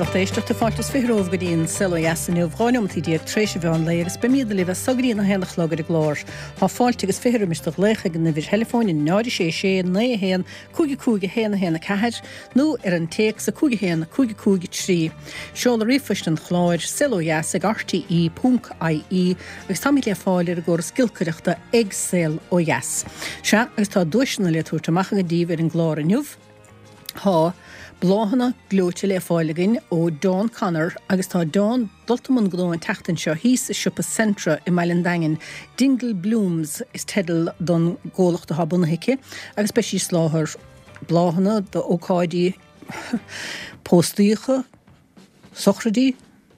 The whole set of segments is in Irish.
lucht éisteachta, fáilte is 20 romhaibh go dtí an Saol Ó Dheas inniu, 12 neomat tar éis an mheán lae agus beimid libh as so go dtí an 1 a chlog ar an gclár. Tá fáilte agus 20 roimis do ghlaoch ag an uimhir theileafóin 0 6 6 9 1 5 5 1 1 4 nó ar an téacs 5 1 5 5 3. Seoladh ríomhphoist an chláir, saolodheas ag rte ponc ie agus táimid le fáil ar an gcóras giolcaireachta ag Saol Ó Dheas. Sea, agus tá duaiseanna le tabhairt amach againn daoibh ar an gclár inniu. Tá bláthanna gleoite le fáil againn ó Dawn Connor agus tá Dawn dulta i mbun gnó an tseachtain seo thíos i siopa Centra i mBaile an Daingin. Dingle Blooms is teideal don gcomhlacht atá bunaithe aici agus beidh sí ag soláthar bláthanna d'ócáidí póstaíocha, sochraidí,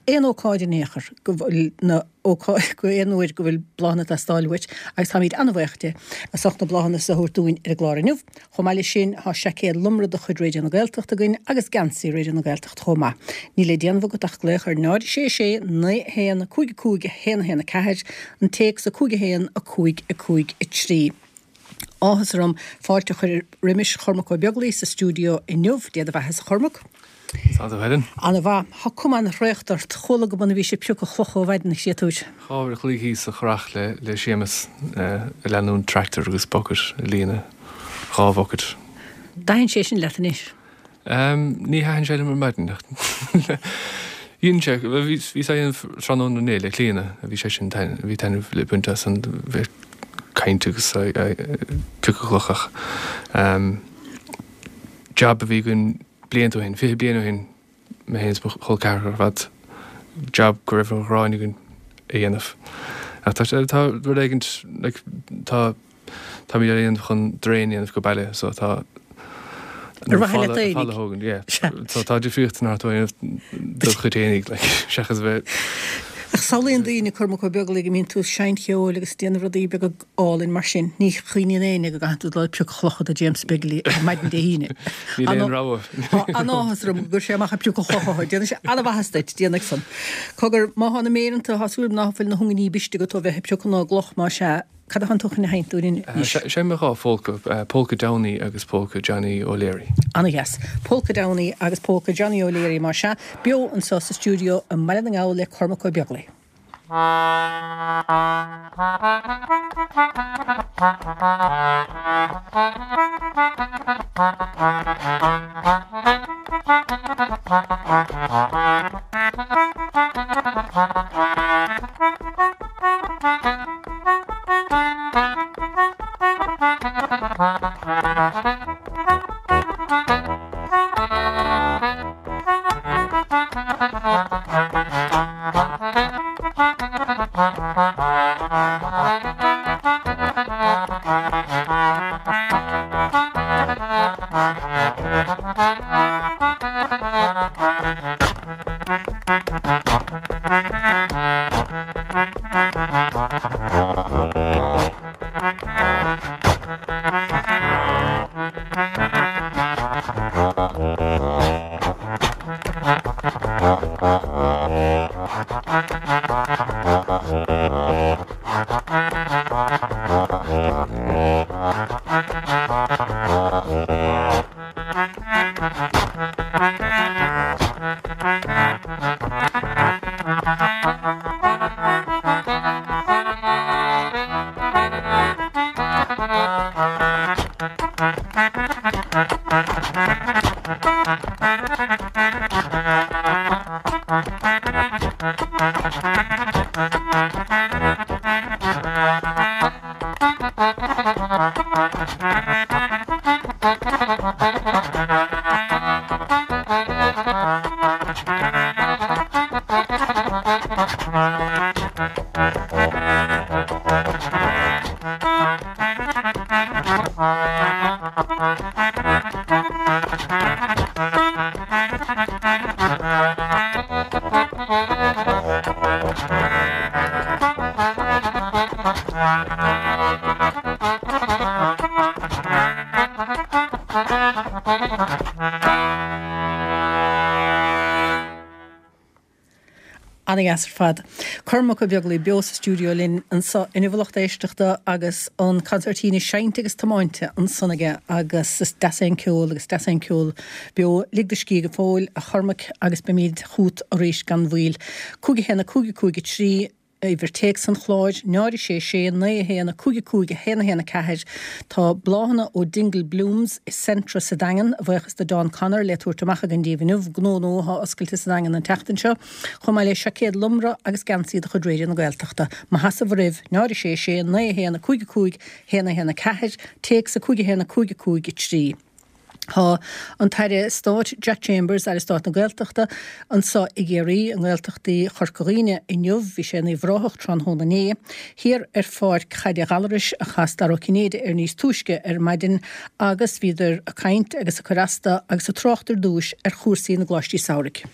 aon ócáid in aon chor go bhfuil na ócáid, go aon uair go bhfuil bláthanna ag teastáil uait agus táimid an-bhuíoch di as ucht na bláthanna seo a thabhairt dúinn ar an gclár inniu. Chomh maith leis sin, tá seaicéad lomra de chuid Raidió na Gaeltachta againn agus geansaí Raidió na Gaeltachta chomh maith. Níl le déanamh agat ach glaoch ar 0 6 6 9 1 5 5 1 1 4, an téacs 5 1 5 5 3. Áthas orm fáilte a chur roimis Chormac Ó Beaglaoich sa stiúideo inniu. Dé do bheatha-sa a Chormaic. Tá tú Helen? Ana-mhaith. Tá cuma an-thraochta ort. Chuala go mb'ionann a bhís ag piocadh clocha ó mhaidin, a chréatúir. Dhá uair a chloig thíos sa Churrach le le Séamus ag leanúint tractor agus bucket ag líonadh dhá bhucket. Dtaithin sé sin leat anois? Ní thaitin sé liom ar maidin ach dhein sé, bhí bhí sé dhéanamh tráthnóna inné le Clíona, bhí sé sin bhí taitneamh le baint as an bheith caint agus piocadh cloch ach jab a bhí againn blianta ó shin, 20 bliain ó shin, mé féin is mo chol ceathracha ar fad, jab go raibh an ghráin againn a dhéanamh. Ach tá sé, tá rud éigint, like, tá, táimid á dhéanamh chun drain a dhéanamh go baile, so tá, Ar mhaithe leat féinig. Falla a thógaint, yeah. So tá difríocht in tú a dhéanamh do chuid fhéinig, like, seachas a bheith. Ach samhlaíonn daoine Cormac Ó Beaglaoich go mbíonn tú ag seinnt cheoil agus ag déanamh rudaí beaga álainn mar sin. Ní chuimhníonn éinne go gcaithfidh tú dul ag piocadh clocha do James Begley ar maidin Dé hAoine. Níl aon rogha. Tá an-áthas orm go gcuir sé amach ag piocadh clocha thú. Déanfaidh sé an-mhaitheas duit, déanfaidh san. Cogar, má thá na méireanta, thá súil agam ná fuil na hungainí briste agat ó bheith ag piocadh na gcloch, más ea, cad a thánn tú chun a sheinnt dúinn anois? Seinnfidh mé dhá phólca, Pólca Downey agus Pólca Johnny O'Leary. Ana-dheas. Pólca Downey agus Pólca Johnny O'Leary, más ea, beo anso sa stiúideo i mBaile na nGall le Cormac Ó Beaglaoich. Ana-dheas ar fad. Cormac Ó Beaglaoich beo sa stiúideo linn anso inniu a lucht éisteachta agus an consairtín seinnte agus tiomáinte ansan aige agus is deas é an ceol agus deas é an ceol beo. Lig do scíth go fóill a Chormaic agus beimíd chút arís gan mhoill. 5 1 5 5 3. Uimhir téacs an chláir, 0 6 6 9 1 5 5 1 1 4 Tá bláthanna ó Dingle Blooms i Centra sa Daingean, a bhuíochas do Dawn Connor, le tabhairt amach againn daoibh inniu, gnó nua atá oscailte sa Daingean an tseachtain seo, chomh maith le seaicéad Lomra agus geansaí de chuid Raidió na Gaeltachta. Mo sheasamh oraibh, 0 6 6 9 1 5 5 1 1 4, téacs 5 1 5 5 3. Tá an tAire Stáit Jack Chambers, Aire Stáit na Gaeltachta, anseo i gCiarraí, i nGaeltachtaí Chorca Dhuibhne inniu. Bhí sé in Uíbh Ráthach tráthnóna inné. Thiar ar pháirc chaide Ghallarais a chas Dara Ó Cinnéide air níos túisce ar maidin agus bhíodar ag caint agus ag cur astu agus ag trácht ar dtúis ar chúrsaí na gcoláistí samhraidh.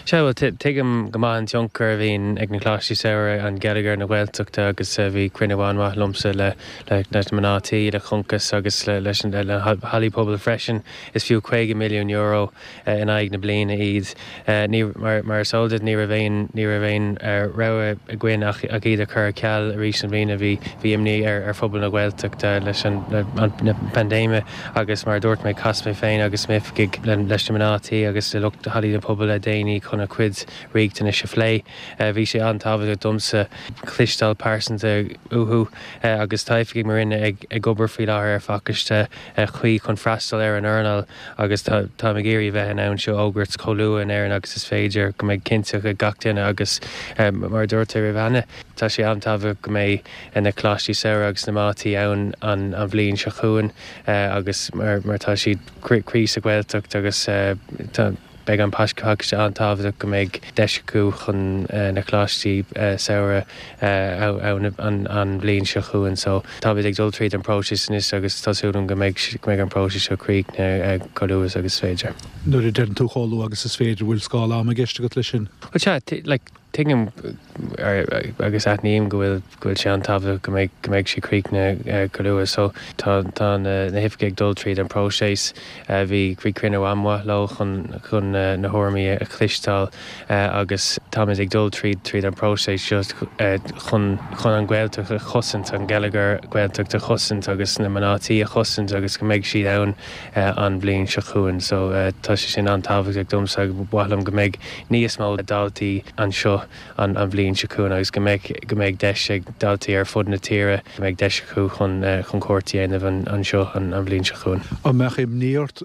Sea, bhuel, tuigim go maith an tionchar a bhíonn ag na Coláistí Samhraidh ar gheilleagar na Gaeltachta agus bhí cruinniú an-mhaith liomsa le leis na mná tí, le Concos agus leis na hallaí pobail freisin. Is fiú €50 milliún in aghaidh na bliana iad. Ní, mar is eol duit, ní raibh aon, ní raibh aon rogha againn ach iad a chur ar ceal arís i mbliana. Bhí, bhí imní ar ar phobal na Gaeltachta leis an bpaindéime. Agus mar a dúirt mé, chas mé féin agus m'oifigigh leis na mná tí agus le lucht hallaí na pobail le déanaí chun a gcuid riachtanais a phlé. Bhí sé an-tábhachtach domsa cloisteáil pearsanta uathu agus tá oifigigh mo Roinne ag obair faoi láthair ar phacáiste cuí chun freastal ar an earnáil agus táim ag iarraidh a bheith in ann seo a fhógairt chomh luath in Éirinn agus is féidir, go mbeidh cinnteacht ag gach duine agus mar a dúirt tú roimhe cheana, tá sé an-tábhachtach go mbeidh na coláistí samhraidh agus na mná tí ann an bhliain seo chugainn agus mar tá siad croí sa Ghaeltacht agus beidh an pacáiste an-tábhachtach go mbeidh deis acu chun na coláistí samhraidh ann an bhliain seo chugainn. So táimid ag dul tríd an próiseas anois agus tá súil agam go mbeidh go mbeidh an próiseas seo críochnaithe chomh luath agus is féidir. Nuair a deireann tú chomh luath agus is féidir, bhfuil scála ama i gceist agat leis sin? Bhuel sea, like Tuigim agus aithním go bhfuil go bhfuil sé an-tábhachtach go mbeidh go mbeidh sé críochnaithe go luath. So tá tá na na hoifigigh ag dul tríd an próiseas. Bhí bhí cruinniú an-mhaith leo chun chun na thuairimí a chloisteáil agus táimid ag dul tríd tríd an próiseas seo chun chun an Ghaeltacht a chosaint, an geilleagar Gaeltacht a chosaint agus na mná tí a chosaint agus go mbeidh siad ann an bhliain seo chugainn. So tá sé sin an-tábhachtach domsa agus ba mhaith liom go mbeidh níos mó daltaí anseo an bhliain seo chugainn agus go mbeidh go mbeidh deis ag daltaí ar fud na tíre, go mbeidh deis acu chun chun cuairt a dhéanamh anseo an bhliain seo chugainn. An mbeadh imní ort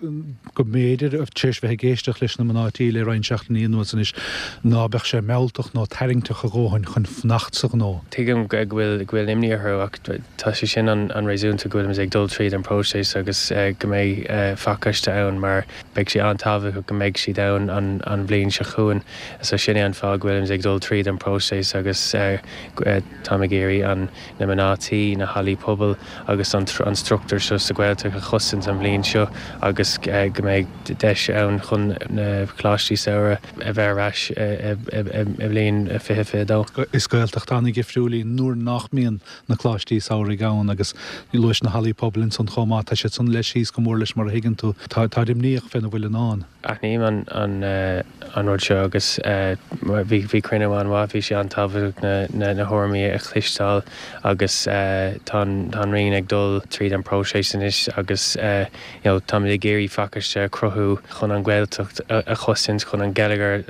go mb'fhéidir, tar éis bheith ag éisteacht leis na mná tí le roinnt seachtainí anuas anois, ná beadh sé mealltach nó tarraingteach a dhóthain chun fanacht sa ghnó? Tuigim go bhfuil go bhfuil imní orthu ach tá sé sin an-réasúnta go bhfuilimid ag dul tríd an próiseas agus go mbeidh pacáiste ann mar beidh sé an-tábhachtach go mbeidh siad ann an bhliain seo chugainn. So sin é an fáth go bhfuilimid ag dul tríd an próiseas agus táim ag iarraidh an na mná tí, na hallaí pobail agus an struchtúr seo sa Ghaeltacht a chosaint an bhliain seo agus go mbeidh deis ann chun na coláistí samhraidh a bheith ar ais i mbliain 2022. Is Gaeltacht an-dhifriúil í nuair nach mbíonn na coláistí samhraidh ann agus luais na hallaí pobail ansan chomh maith. Tá siad san leis thíos go mór leis mar a thuigeann tú. Táid imníoch féna bhfuil i ndán. Aithním an rud seo agus bhí cruinniú an-mhaith, bhí sé an-tábhachtach na thuairimí a chloisteáil agus tá an Roinn ag dul tríd an próiseas anois agus you know táimid ag iarraidh pacáiste a chruthú chun an Ghaeltacht a chosaint, chun an geilleagar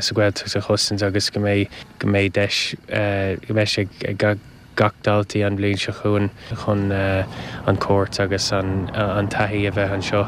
sa Ghaeltacht a chosaint agus go mbeidh go mbeidh deis, go mbeidh sé ag gach daltaí an bhliain seo chugainn chun an cuairt agus an taithí a bheith anseo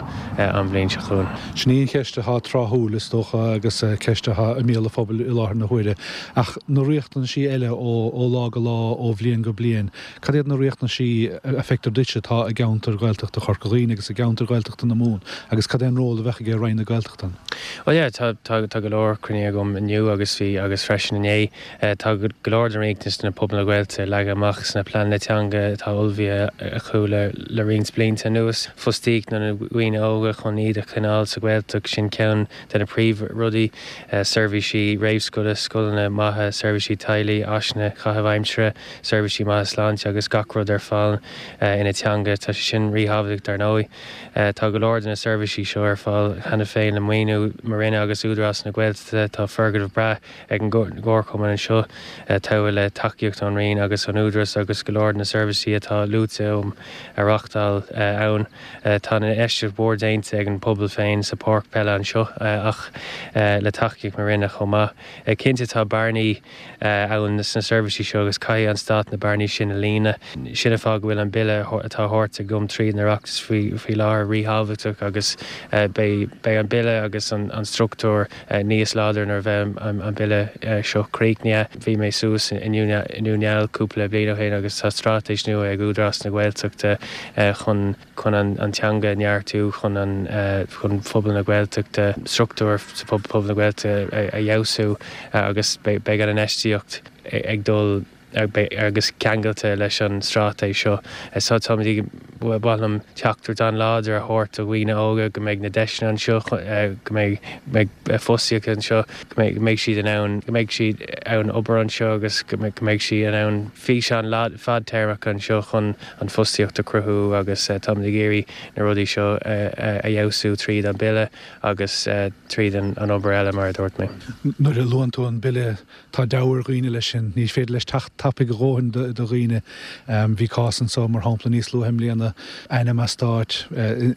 an bhliain seo chugainn. Sin í an cheist atá tráthúil, is dócha, agus ceist atá i mbéal an phobail i láthair na huaire. Ach na riachtanaisí eile ó lá go lá, ó bhliain go bliain, cad iad na riachtanaisí a feictear duitse atá i gceantar Gaeltachta Chorca Dhuibhne agus i gceantar Gaeltachta na Mumhan agus cad é an ról a bheadh ag Roinn na Gaeltachta ann? Bhuel yeah, tá, tá, tá go leor cruinnithe agam inniu agus bhí, agus freisin inné. Tá go leor de riachtanais na pobail na Gaeltachta leagtha amach. amach sna pleananna teanga atá ullmhaithe acu le le roinnt blianta anuas. Fostaíocht na ndaoine óga chun iad a choinneáil sa Ghaeltacht, sin ceann de na príomhrudaí. Seirbhísí réamhscoile, scoileanna maithe, seirbhísí teaghlaigh, áiseanna caitheamh aimsire, seirbhísí maithe sláinte agus gach rud ar fáil ina dteanga. Tá sé sin ríthábhachtach dar ndóigh. Tá go leor de na seirbhísí seo ar fáil cheana féin le maoiniú mo Roinne agus Údarás na Gaeltachta. Tá foirgneamh breá ag an gComharchumann anseo, togha le tacaíocht ón Roinn agus ón Údarás agus go leor de na seirbhísí atá luaite agam á reáchtáil ann. Tá infheistíocht mhór déanta ag an bpobal féin sa pháirc peile anseo ach le tacaíocht mo Roinne chomh maith. Cinnte tá bearnaí ann sna seirbhísí seo agus caithfidh an Stát na bearnaí sin a líonadh. Sin an fáth go bhfuil an Bille atá á thabhairt agam tríd an Oireachtas faoi láthair ríthábhachtach agus beidh an Bille agus an struchtúr níos láidre nuair a bheidh an Bille seo críochnaithe. Bhí mé suas i nDún na nGall cúpla bliain ó shin agus tá straitéis nua ag Údarás na Gaeltachta chun chun an teanga a neartú, chun an chun phobal na Gaeltachta, struchtúr sa phobal na Gaeltachta a fheabhsú agus beidh an infheistíocht ag dul agus ceangailte leis an straitéis seo. So táimid ag, ba mhaith liom teachtaireacht an-láidir a thabhairt do dhaoine óga go mbeidh na deiseanna anseo, go mbeidh mbeidh fostaíocht anseo, go mbeidh go mbeidh siad in ann go mbeidh siad ann obair anseo agus go mbeidh siad in ann fís an-fhadtéarmach anseo chun an fostaíocht a chruthú agus táimid ag iarraidh na rudaí seo a fheabhsú tríd an Bille agus tríd an obair eile mar a dúirt mé. Nuair a luann tú an Bille, tá deabhadh ar dhaoine leis sin. Ní féidir leis teacht tapaidh a dhóthain do dhaoine. Bhí cás anso, mar shampla, níos luaithe i mbliana, ainm eastáit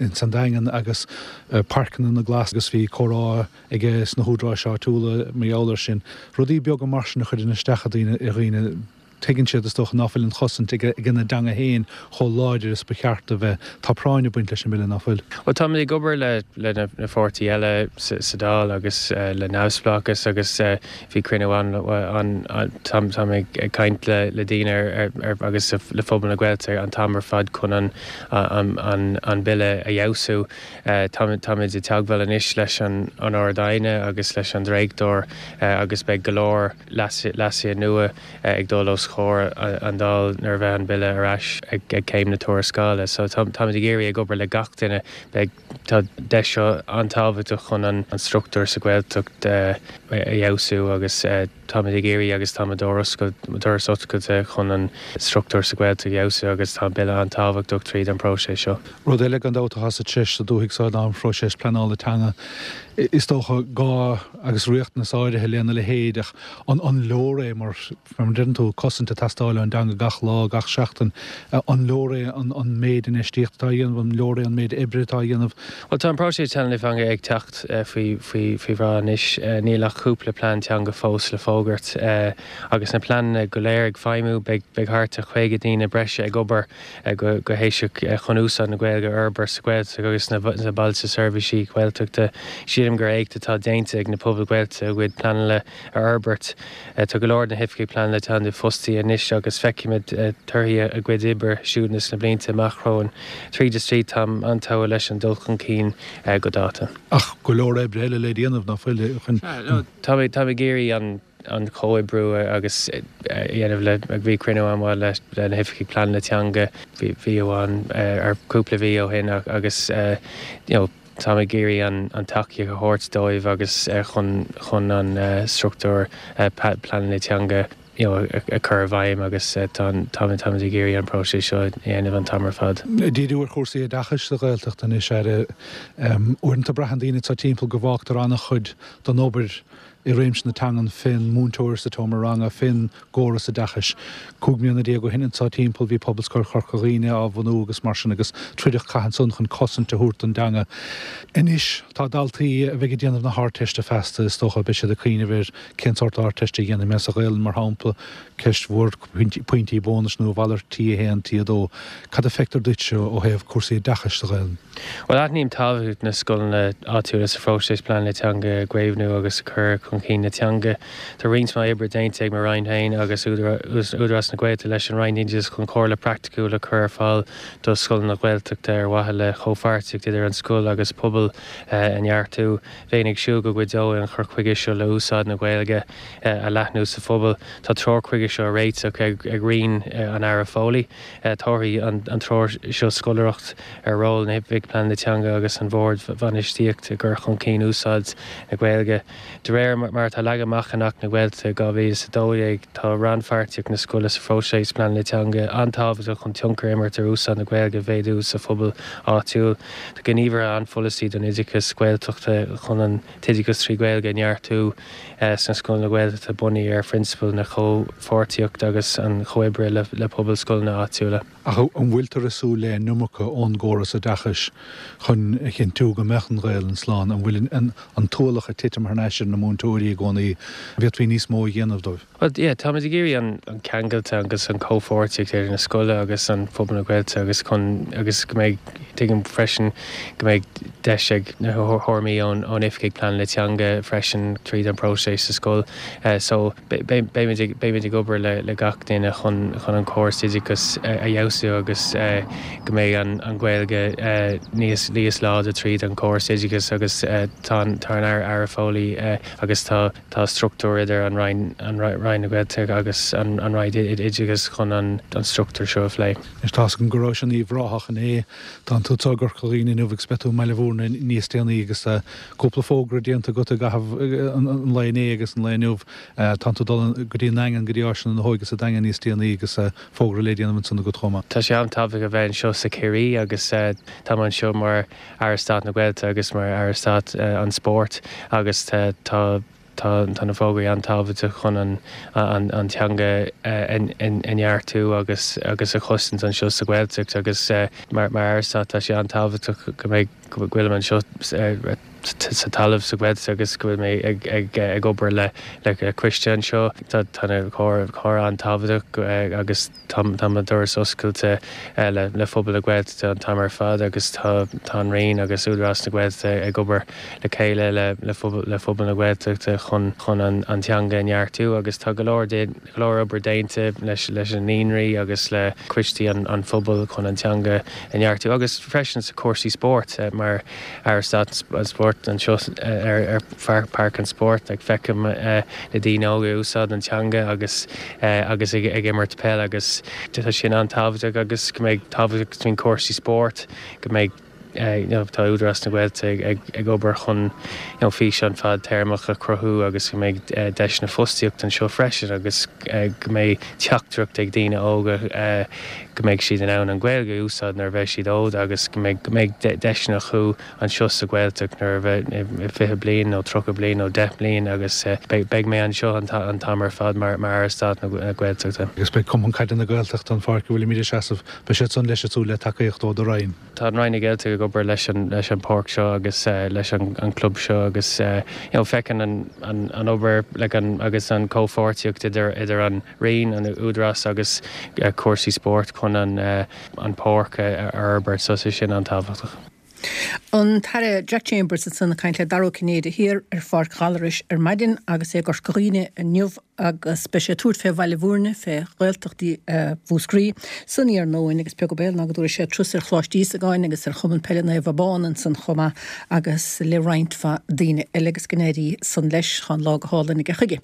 ins an Daingean agus Páirceanna na nGlas agus bhí comhrá aige sna húdaráis áitiúla mar gheall air sin. Rudaí beaga mar sin a chuireann isteach ar dhaoine. Tuigeann siad, is dócha, ná fuil an chosaint ag ina dteanga féin chomh láidir is ba cheart a bheith. Tá práinn ag baint leis an mBille, ná fuil? Bhuel, táimid ag obair le le na pháirtí eile sa Dáil agus le neamhspleáchas agus bhí cruinniú an an táim ag caint le le daoine ar ar agus le phobal na Gaeltachta an t-am ar fad chun an an an Bille a fheabhsú. Táimid i dteagmháil anois leis an Ard-Aighne agus leis an dréachtóir agus beidh go leor leasuithe nua ag dul os comhair an Dáil nuair a bheidh an Bille ar ais ag céim na tuarascála. So táimid ag iarraidh ag obair le gach duine. Beidh, tá deis seo an-tábhachtach chun an struchtúr sa Ghaeltacht a fheabhsú agus táimid ag iarraidh agus tá mo dhoras oscailte chun an struchtúr sa Ghaeltacht a fheabhsú agus tá an Bille an-tábhachtach tríd an bpróiseas seo. Rud eile gan dabht atá sa treis sa dúthaigh seo ná an phróiseas pleanála teanga. Is dócha gá agus riachtanas áirithe lena leithéid ach an leor é mar mar a deireann tú, cosaint ag teastáil ón dteanga gach lá, gach seachtain. An leor é an méid infheistíochta atá á dhéanamh, an leor é an méid oibre atá á dhéanamh? Bhuel, tá an próiseas pleanála teanga ag teacht faoi faoi bhráid anois. Níl ach cúpla plean teanga fós le fógairt. Agus na pleananna go léir ag feidhmiú, beidh beidh thart ar 50 duine breise ag obair go heisiach chun úsáid na Gaeilge a fhorbairt sa Ghaeltacht agus sna bailte seirbhísí Gaeltachta. Sílim gur éacht atá déanta ag na pobail Ghaeltachta a gcuid pleananna a fhorbairt. Tá go leor de na hoifigigh pleanála teanga fostaithe anois agus feicfimid torthaí a gcuid oibre siúd sna blianta amach romhainn. Tríd is tríd, táim an-togha leis an dul chun cinn go dáta. Ach go leor oibre eile le déanamh, ná fuil? Táim ag iarraidh an. an comhoibriú agus a dhéanamh le, bhí cruinniú an-mhaith le na hoifigigh pleanála teanga mhí amháin ar cúpla mhí ó shin agus you know táim ag iarraidh an an tacaíocht a thabhairt dóibh agus chun chun an struchtúr pleanála teanga you know a chur i bhfeidhm agus tá táimid táimid ag iarraidh an próiseas seo a dhéanamh an t-am ar fad. Díriú ar chúrsaí oideachais sa Ghaeltacht anois, Aire. Uaireanta braitheann daoine atá timpeall go bhfágtar an-chuid den obair i réimse na teangan fén múinteoir sa tseomra ranga, fén gcóras oideachais. 15 mbliana ó shin anso timpeall bhí Pobalscoil Chorca Dhuibhne á bhunú agus mar sin agus troideadh cath ansan chun cosaint a thabhairt don dteanga. Anois tá daltaí a bheidh ag déanamh na hArdteiste feasta, is dócha, beidh siad ag cuimhneamh ar cén sórt Ardteiste a dhéanfaidh mé sa Ghaelainn mar shampla, ceist mhór pointí bónais nó a mhalairt, T1, T2. Cad a feictear duitse ó thaobh cúrsaí oideachais sa Ghaelainn? Bhuel, aithním tábhacht na scoileanna áitiúla sa phróiseas pleanála teanga a chaomhnú agus a chur chun. chun cinn na teanga. Tá roinnt mhaith oibre déanta ag mo Roinn féin agus Údarás na Gaeltachta leis an Roinn Oideachais chun comhairle praiticiúil a chur ar fáil do scoileanna Gaeltachta ar mhaithe le comhpháirtíocht idir an scoil agus pobal a neartú. Bheinn ag siúl go gcuideoidh an chur chuige seo le úsáid na Gaeilge a leathnú sa phobal. Tá treoir chuige seo á réiteach ag Roinn an Aire Foley. Tabharfaidh an treoir seo soiléireacht ar ról an Oifigigh Pleanála Teanga agus an Bhoird Bhainistíochta i gcur chun cinn úsáid na Gaeilge. De réir mar atá leagtha amach in Acht na Gaeltachta 2012, tá rannpháirtíocht na scoile sa phróiseas pleanála teanga an-tábhachtach chun tionchar a imirt ar úsáid na Gaeilge a mhéadú sa phobal áitiúil. Tá gníomhartha an pholasaí don oideachas Gaeltachta chun an t-oideachas 3 Ghaeilge a neartú sna scoileanna Gaeltachta bunaithe ar phrionsabail na comhpháirtíochta agus an chomhoibre le pobail scoileanna áitiúla. Ach an bhfuiltear ag súil le an iomarca ón gcóras oideachais chun a chinntiú go mbeadh an Ghaelainn slán? An bhfuil an t-ualach ag titim thar n-ais ar na múinteoirí i gcónaí? An bhféadfaí níos mó a dhéanamh dóibh? Bhuel, yeah, táimid ag iarraidh an ceangailte agus an comhpháirtíocht idir na scoile agus an phobal na Gaeltachta agus chun agus go mbeidh, tuigim freisin go mbeidh deis ag na thuairimí ón Oifigigh Pleanála Teanga freisin tríd an próiseas sa scoil. So, Beimid ag obair le gach duine chun an córas oideachais a fheabhsú agus go mbeidh an Ghaeilge níos láidre tríd an chóras oideachais agus tá an Aire Foley agus tá struchtúr idir an Roinn na Gaeltachta agus an Roinn Oideachais chun an struchtúr seo a phlé. Anois tá's agam go rabhais in Uíbh Ráthach inné, tánn tú anso i gCorca Dhuibhne inniu agus beidh tú i mBaile Bhúirne níos déanaí agus cúpla fógra déanta agat i gcaitheamh an lae inné agus an lae inniu. Tánn tú ag dul go dtí an Daingean, go dtí áiseanna na hóige sa Daingean níos déanaí agus fógra le déanamh ansan agat chomh maith. Tá sé an-tábhachtach a bheith anseo sa Chiarraí agus táim anseo mar Aire Stáit na Gaeltachta agus mar Aire Stáit an Spóirt agus tá Tá na fógraí an-tábhachtach chun an teanga a neartú agus a chosaint anseo sa Ghaeltacht agus mar Aire Stáit tá sé an-tábhachtach go mbeidh, go bhfuilim anseo sa talamh sa Ghaeltacht agus go bhfuil mé ag obair le coiste anseo. Tá na comhrá an-tábhachtach agus. Tá mo dhoras oscailte le phobal na Gaeltachta an t-am ar fad agus tá an Roinn agus Údarás na Gaeltachta ag obair le chéile le phobal na Gaeltachta chun an teanga a neartú agus tá go leor go leor obair déanta leis na naíonraí agus le coistí an phobail chun an teanga a neartú agus freisin sa cúrsaí spóirt mar Aire Stáit an Spóirt anseo ar Pháirc an Spóirt like feicim na daoine óga ag úsáid an teanga agus agus ag imirt peile agus tá sin an-tábhachtach agus go mbeidh tábhachtach faoin cúrsaí spóirt go mbeidh you know tá Údarás na Gaeltachta ag ag obair chun you know físeán fadtéarmach a chruthú agus go mbeidh deiseanna fostaíochta anseo freisin agus go mbeidh teachtaireacht ag daoine óga go mbeidh siad in ann an Ghaeilge a úsáid nuair a bheidh siad óg agus go mbeidh go mbeidh deiseanna acu anseo sa Ghaeltacht nuair a bheidh 20 bliain nó 30 bliain nó 10 mbliain agus beidh mé anseo an t-am ar fad mar Aire Stáit na Gaeltachta. Agus beidh Cumann Caide na Gaeltachta, an pháirc a bhfuilimid ag seasamh, beidh siad san leis ag súil le tacaíocht ó do Roinn. Tá an Roinn na Gaeltachta ag obair leis an leis an páirc seo agus leis an an club seo agus you know feiceann an an an obair like an agus an comhpháirtíocht idir idir an Roinn, an Údarás agus cúrsaí spóirt chun an an páirc a fhorbairt so tá sin an-tábhachtach. An tAire Jack Chambers ansan ag caint le Dara Ó Cinnéide thiar ar Pháirc Ghallarais ar maidin agus é i gCorca Dhuibhne inniu agus beidh sé ag tabhairt fé Bhaile Bhúirne, fé Ghaeltachtaí Mhúscraí san iarnóin agus beag an baol ná go dtabharfaidh sé turas ar Choláiste Íosagáin agus ar Chumann Peile Naomh Abán ansan chomh maith agus le roinnt mhaith daoine eile agus go n-éirí san leis. Tá an lá go hálainn aige chuige.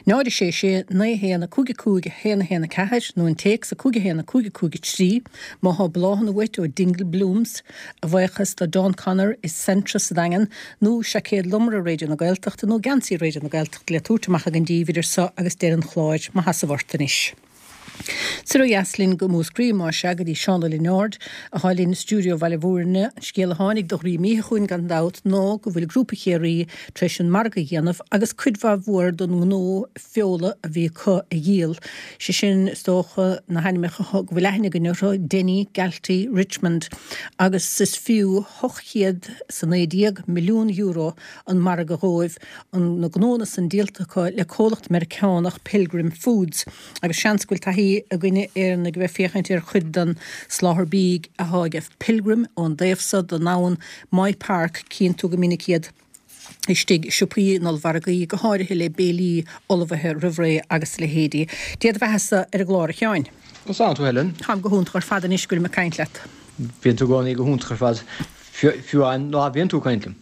0 6 6 9 1 5 5 1 1 4 nó an téacs 5 1 5 5 3 Má thá bláthanna uait ó Dingle Blooms, a bhuíochas do Dawn Connor i Centra sa Daingean, nó seaicéad lomaire Raidió na Gaeltachta nó geansaí Raidió na Gaeltachta le tabhairt amach againn díbh idir so agus deireadh an chláir, mo sheasamh ort anois. Soir ó dheas linn go Múscraí, más ea, go dtí Seán Ó Lionáird, athá linn i stiúideo Bhaile Bhúirne. An scéal a tháinig de dhroim oíche chugainn gan dabht ná go bhfuil Grúpa Chiarraí tar éis an margadh a dhéanamh agus cuid mhaith mhór den ngnó feola a bhí acu a dhíol. Sé sin, is dócha, na hainmneacha go bhfuil aithne againn orthu, Denny, Galtee, Richmond, agus is fiú €819 milliún an margadh dhóibh, an na gnónna san díolta acu le comhlacht Meiriceánach Pilgrim Foods. Agus seans go bhfuil taithí againne Éireannaigh a bheith féachaint ar chuid den soláthar bídh athá aige Pilgrim ón dtaobh so den abhann, Moy Park, cíonn tú go minic iad. Istigh i siopaí in ollmhargaí, go háirithe le béilí ullmhaithe roimh ré agus a leithéidí. Dé do bheathasa ar an gclár, a Sheáin. Conas tánn tú, Helen? Táim go hiontach ar fad anois go bhfuilim ag caint leat. Bíonn tú i gcónaí go hiontach ar fad, fiú amháin ná bíonn tú ag caint liom.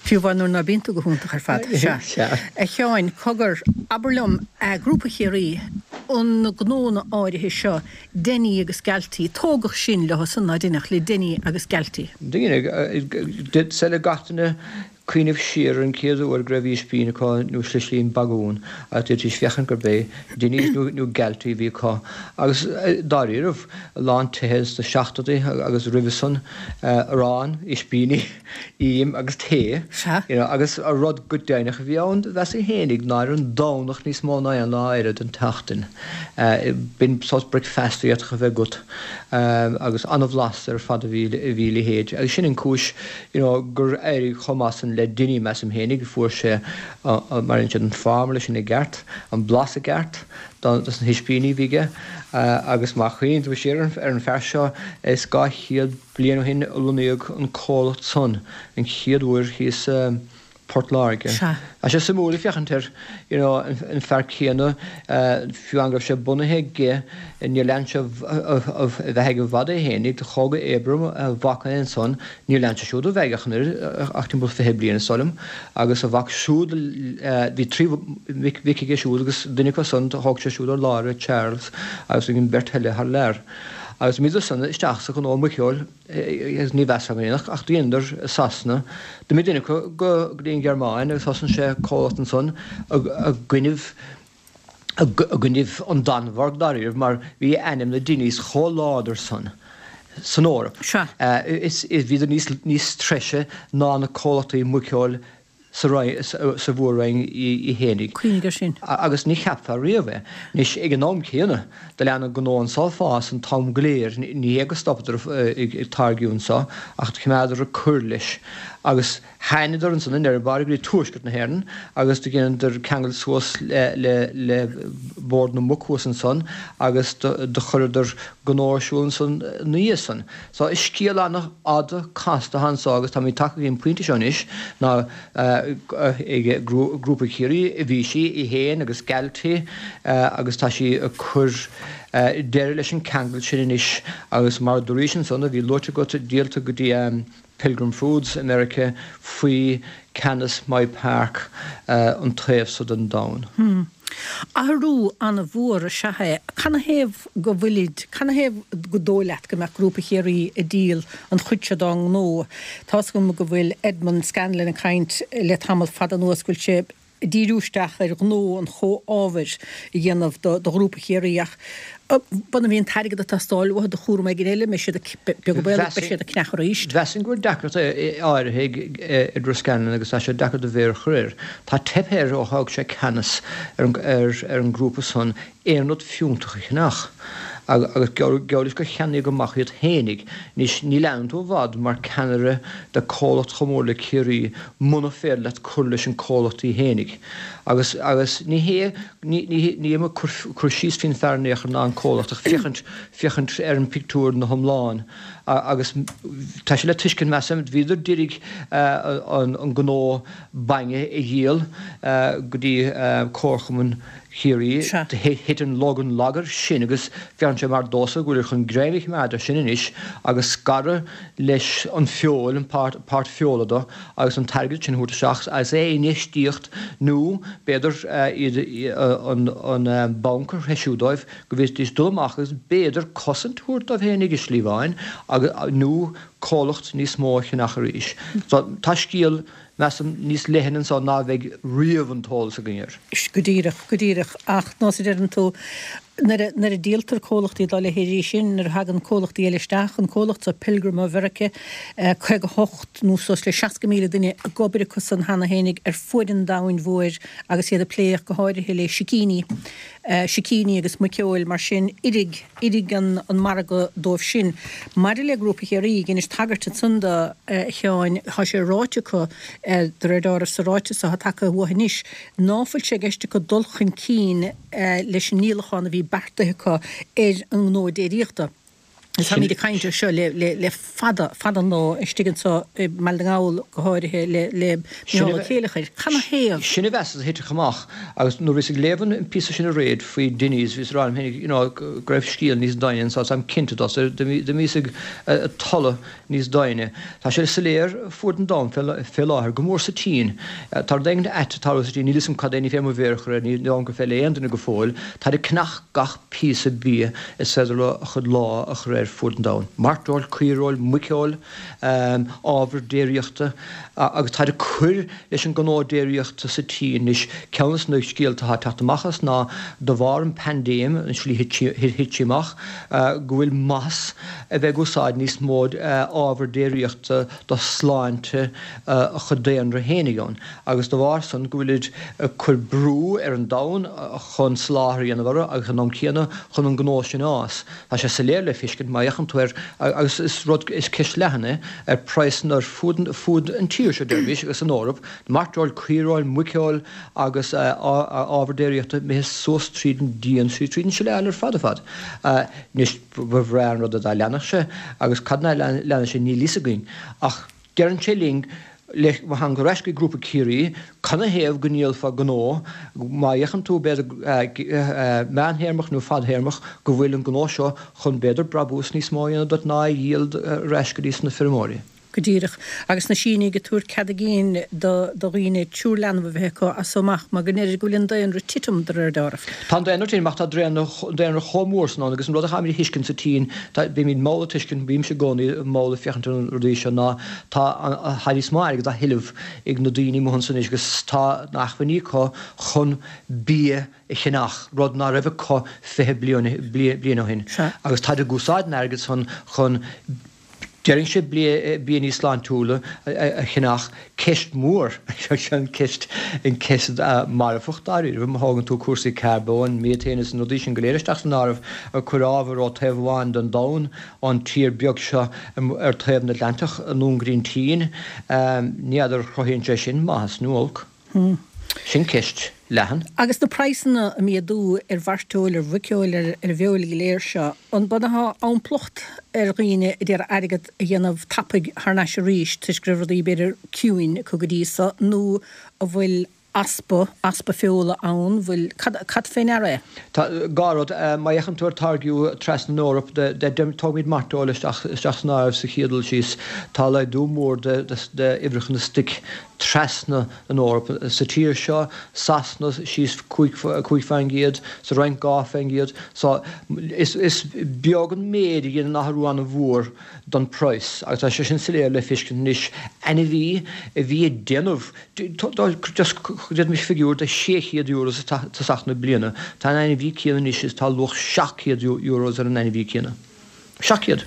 Fiú amháin nuair ná bíonn tú go hiontach ar fad, sea. A Sheáin, cogar, abair liom, Grúpa Chiarraí, an gnónna áirithe seo, Denny agus Galtee, tógadh sinn leo san, ná deineadh, le Denny agus Galtee. Duine, is oth le gach duine cuimhneamh siar ar an chéad uair go raibh ispín acu nó slislín bagún agus d'fhéadfaidís féachaint gurb é Denny's nó Galtee a bhí acu. Agus dáiríribh, a lán tithe sna seachtóidí agus roimhe san, arán, ispíní, im agus tae, you know, agus rud go deimhneach a bhí ann, mheasfainn fhéinig, ná ar an Domhnach níos mó ná aon lá eile den tseachtain. B'in sórt bricfeasta a d'fhéadfadh a bheith agat agus an-bhlasta ar fad a bhí a leithéid. Agus sin an cúis, you know, gur éirigh chomh maith san le Dinny, measaim fhéinig, fuair sé, mar a deireann siad, an formula sin i gceart, an blas i gceart dos na hispíní a bhí aige. Agus má chuimhníonn tú siar ar an fear seo, is 200 bliain ó shin a lonnaíodh an comhlacht san an chéad uair thíos i Port Láirge. Sea. Tá sé suimiúil féachaint air, you know, an fear céanna, fiú amháin go raibh sé bunaithe aige, níor lean sé a bheith aige i bhfad é fhéinig, do thógadh Abraham a mhac é ansan, níor lean sé siúd a bheith aige ach an oiread, ach timpeall 20 bliain is dóigh liom, agus a mhac siúd, bhí trí mhic aige siúd agus duine acu san, do thóg sé siúd ar lár é, Charles, agus bhí an bheirt eile thar lear. Agus d'imíodar san isteach sa ghnó muiceoil, agus ní mheasfá go ndéanfadh, ach dheineadar i Sasana. D'imigh duine acu go dtí an Ghearmáin agus thosnaigh sé comhlacht ansan i gcoinnibh, i gcoinnibh an Danmhairg dáiríribh mar bhí ainm na Dinnies chomh láidir san san Eoraip. Sea. Is bhíodar níos, níos treise ná na comhlachtaí muiceoil sa sa mhór-roinn í fhéinig. Cuimhnigh air sin. Agus ní cheapfá riamh é. Anois, ag an am céanna, do lean an gnó anso ag fás an t-am go léir, ní hé go stopadar ag táirgiú anso, ach do choimeádar ag cur leis. Agus tháinadar ansan i ndeireadh báire go dtí tuaisceart na hÉireann agus do dheineadar ceangal suas le le Bord na Muc thuas ansan agus do do chuireadar gnó ar siúl ansan ina dhiaidh san. So is scéal an-fhada casta atá anso agus táimid tagtha go dtí an pointe seo anois ná ag Grúpa Chiarraí a bhí sí, í féin agus Galtee agus tá sí ag cur deireadh leis an ceangal sin anois agus mar a dúraís ansan a bhí luaite agat díolta go dtí Pilgrim Foods i Meiriceá faoi ceannas MyPark an taobh so den domhan. Athrú an-mhór is ea é. Canathaobh go bhfuilid, canathaobh go dóigh leat go mbeadh Grúpa Chiarraí ag díol an chuid seo dá ngnó? Tá's agam go bhfuil Edmond Scanlon ag caint le tamall fada anuas go bhfuil sé ag díriú isteach ar ghnó an chomhábhair a dhéanamh do Ghrúpa Chiarraí ach b'ionann bhí an t-airgead ag teastáil uathu do chúram éigin eile, mbeidh siad ag, beag an baol, beidh siad ag ceannach arís. Mheasfainn go bhfuil deacracht áirithe ag Edward Scanlon agus tá sé deacair do mhéar a chur air. Tá teipthe air ó thóg sé ceannas ar an ngrúpa san aon rud fiúntach a cheannach agus geall leis gur cheannaíodh amach iad fhéinig. Anois ní leanann tú i bhfad mar ceannaire de comhlacht chomh mór le Ciarraí muna féidir leat cur leis an comhlacht í fhéinig. Agus agus ní hé ní ní ní ag cur cur síos faoin fear in aon chor ná an comhlacht ach féachaint féachaint ar an pictiúr ina hiomlán agus tá sé le tuiscint measaim bhíodar d'iarraidh an an gnó bainne a dhíol go dtí Comharchumann Chiarraí. Thit an log an lag air sin agus féachann sé mar domhsa go bhfuil chun greim a choimeád air sin anois agus scaradh leis an feoil, an páirt feola do agus an t-airgead sin a thabhairt isteach agus é a infheistíocht nó b'fhéidir iad an banc a threisiú dóibh go bhféadfaidís dul amach agus b'fhéidir cosaint a thabhairt dóibh féinig i slí amháin nó comhlacht níos mó a cheannach arís. Tá scéal measaim, níos leithne anso ná bheidh riamh an t-eolas againn air. Go díreach, go díreach. Ach nós a deireann tú, nuair a, nuair a díoltar comhlachtaí dá leithéidí sin, nuair a thagann comhlachtaí eile isteach, an comhlacht seo Pilgrim ó Mheirice, 58 nó suas le 60,000 duine ag obair acu san cheana fhéinig ar fuaid an domhain mhóir agus iad ag plé ach go háirithe le sicíní, sicíní agus muiceoil mar sin, oirfidh. Oirfidh an margadh dóibh sin. Maidir le Grúpa Chiarraí, dheinis tagairt ansan do, a Sheáin, tá sé ráite acu, de réir dealraimh sa ráiteas atá tagtha uathu anois, ná fuil sé i gceist acu dul chun cinn leis an ndíolachán a bhí beartaithe acu ar an ngnó déiríochta. Táimid ag caint air seo le fada, fada an lá, istigh anseo i mBaile na nGall go háirithe le Micheál Ó Céileachair. Canathaobh? Sin a bheas a thitfeadh amach agus nuair a bhíos ag léamh an píosa sin aréir faoi Denny's bhíos ag rá liom féinig you know go raibh scéal níos doimhne anso, táim cinnte dó, do bhíos ag tolladh níos doimhne. Tá sé soiléir fuaid an domhain fé láthair, go mór sa tSín. Tá rud éigin ait ag tarlú sa tSín, níl 'fhios a'm cad é, ní féidir mo mhéar a chur air, ní dóigh liom gur féidir le aon duine go fóill. Táid ag ceannach gach píosa bia is féidir leo a chuid lámha a chur air fuaid an domhain. Mairteoil, caoireoil, muiceoil, ábhar déiríochta, agus táid ag cur leis an ngnó déiríochta sa tSín anois. Ceann de na scéalta atá ag teacht amach as ná de bharr an paindéim, an slí a thit sí amach, go bhfuil maitheas a bheith ag úsáid níos mó ábhar déiríochta do shláinte a chuid daonra fhéinig ann agus de bharr san go bhfuilid ag cur brú ar an domhan chun soláthar a dhéanamh orthu agus an am céanna chun an gnó sin a fhás. Tá sé soiléir le feiscint má fhéachann tú ar, agus is rud, is ceist leathan é, ar praghsanna ar fuaid, fuaid an tír seo deirimis agus san Eoraip, mairteoil, caoireoil, muiceoil agus ábhar déiríochta imithe suas tríd an díon, tríd an sileáil ar fad ar fad. Anois, ba bhreá an rud é dá leanfadh sé, agus cad ná leanfaidh sé níl fhios againn. Ach deireann sé linn, le, má thagann tú ar ais go Grúpa Ciarraí, canathaobh go ndíolfá gnó, má fhéachann tú, b'fhéidir, meánthéarmach nó fadthéarmach, go bhfuil an gnó seo chun b'fhéidir brabús níos mó a dhéanamh duit ná a dhíol ar ais go dtí sna feirmeoirí. Go díreach. Agus na Sínigh ag tabhairt cead a gcinn do dhaoine triúr leanbh a bheith acu as so amach mar go ndeirid go bhfuil an daonra ag titim de réir dealraimh. Tá an daonra ag titim ach tá daonra chomh mór san ann agus an rud a chaithfimid a thuiscint sa tSín, tá, bímid mall ag tuiscint, bímse i gcónaí mall ag féachaint ar na rudaí seo ná tá tá níos mó airgid á thuilleamh ag na daoine amuigh ansan anois agus tá na hacmhainní acu chun bia a cheannach, rud ná raibh acu 20 bliain bliain ó shin agus táid ag úsáid an airgid san chun Déarfainnse bia níos sláintiúla a cheannach, ceist mhór, an ceist, an ceist marfach dáiríre, má thógann tú cúrsaí carbóin, méatéin is na rudaí sin go léir isteach san áireamh, ag cur ábhar ó taobh amháin den domhan, ón tír beag seo ar taobh na Atlantach anonn go dtí an tSín, ní fheadar an chruthaíonn sé sin maitheas nó olc. Sin ceist leathan. Agus na praghsanna ag méadú ar mhairteoil, ar mhuiceoil, ar an bhfeoil go léir seo, an b'ionadh amplacht ar dhaoine a d'iarraidh airgead a dhéanamh tapaidh thar n-ais arís toisc go raibh rudaí b'fhéidir ciúin acu go dtí so, nó an bhfuil easpa, easpa feola ann, bhfuil, cad, cad fé ndeara é? Tá dhá rud. Má fhéachann tú ar táirgiú trasna na hEorpa, tógaimid mairteoil isteach san áireamh sa chéad dul síos, tá laghdú mór d'uimhreacha na stoic trasna an Eoraip. Sa tír seo, Sasana, síos 5%, sa Fhrainc 2%. So, is beag an méid a dhéanann athrú an-mhór don praghas agus tá sé sin soiléir le feiscint anois. Ainmhí a bhí ag déanamh, just déanaimis figiúr de €600 i dtosach na bliana, tá an ainmhí céanna anois is tá luach €700 ar an ainmhí céanna. 700.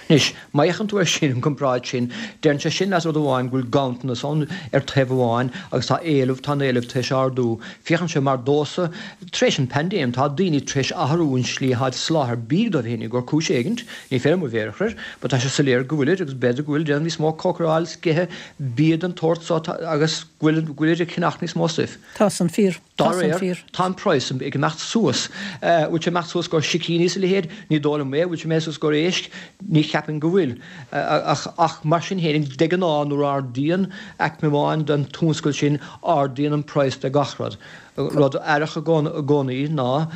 Anois, má fhéachann tú air sin, an comparáid sin, deireann sé sin leat rud amháin, go bhfuil ganntanas ann ar taobh amháin agus tá éileamh, tá an éileamh tar éis ardú. Féachann sé mar domhsa, tar éis an paindéim, tá daoine tar éis athrú an slí atáid ag soláthar bídh dóibh féin i gcomhair cúis éigint, ní féidir mo mhéar a chur air, but tá sé soiléir go bhfuilid agus b'fhéidir go bhfuil, déanamh níos mó cócaráil is ag ithe bia den tsórt so agus go bhfuil, go bhfuilid ag ceannach níos mó stuif. Tá san fíor. Dá réir, tá an praghas ag imeacht suas. Bhfuil sé imeacht suas i gcomhair sicíní is a leithéid? Ní dóigh liom é. Bhfuil sé imeacht suas i gcomhair éisc? Ní cheapaim go bhfuil. Ach mar sin féin, de ghnáth nuair a ardaíonn aicme amháin den tionscal sin, ardaíonn an praghas de gach rud. Rud aireach i gcónaí ná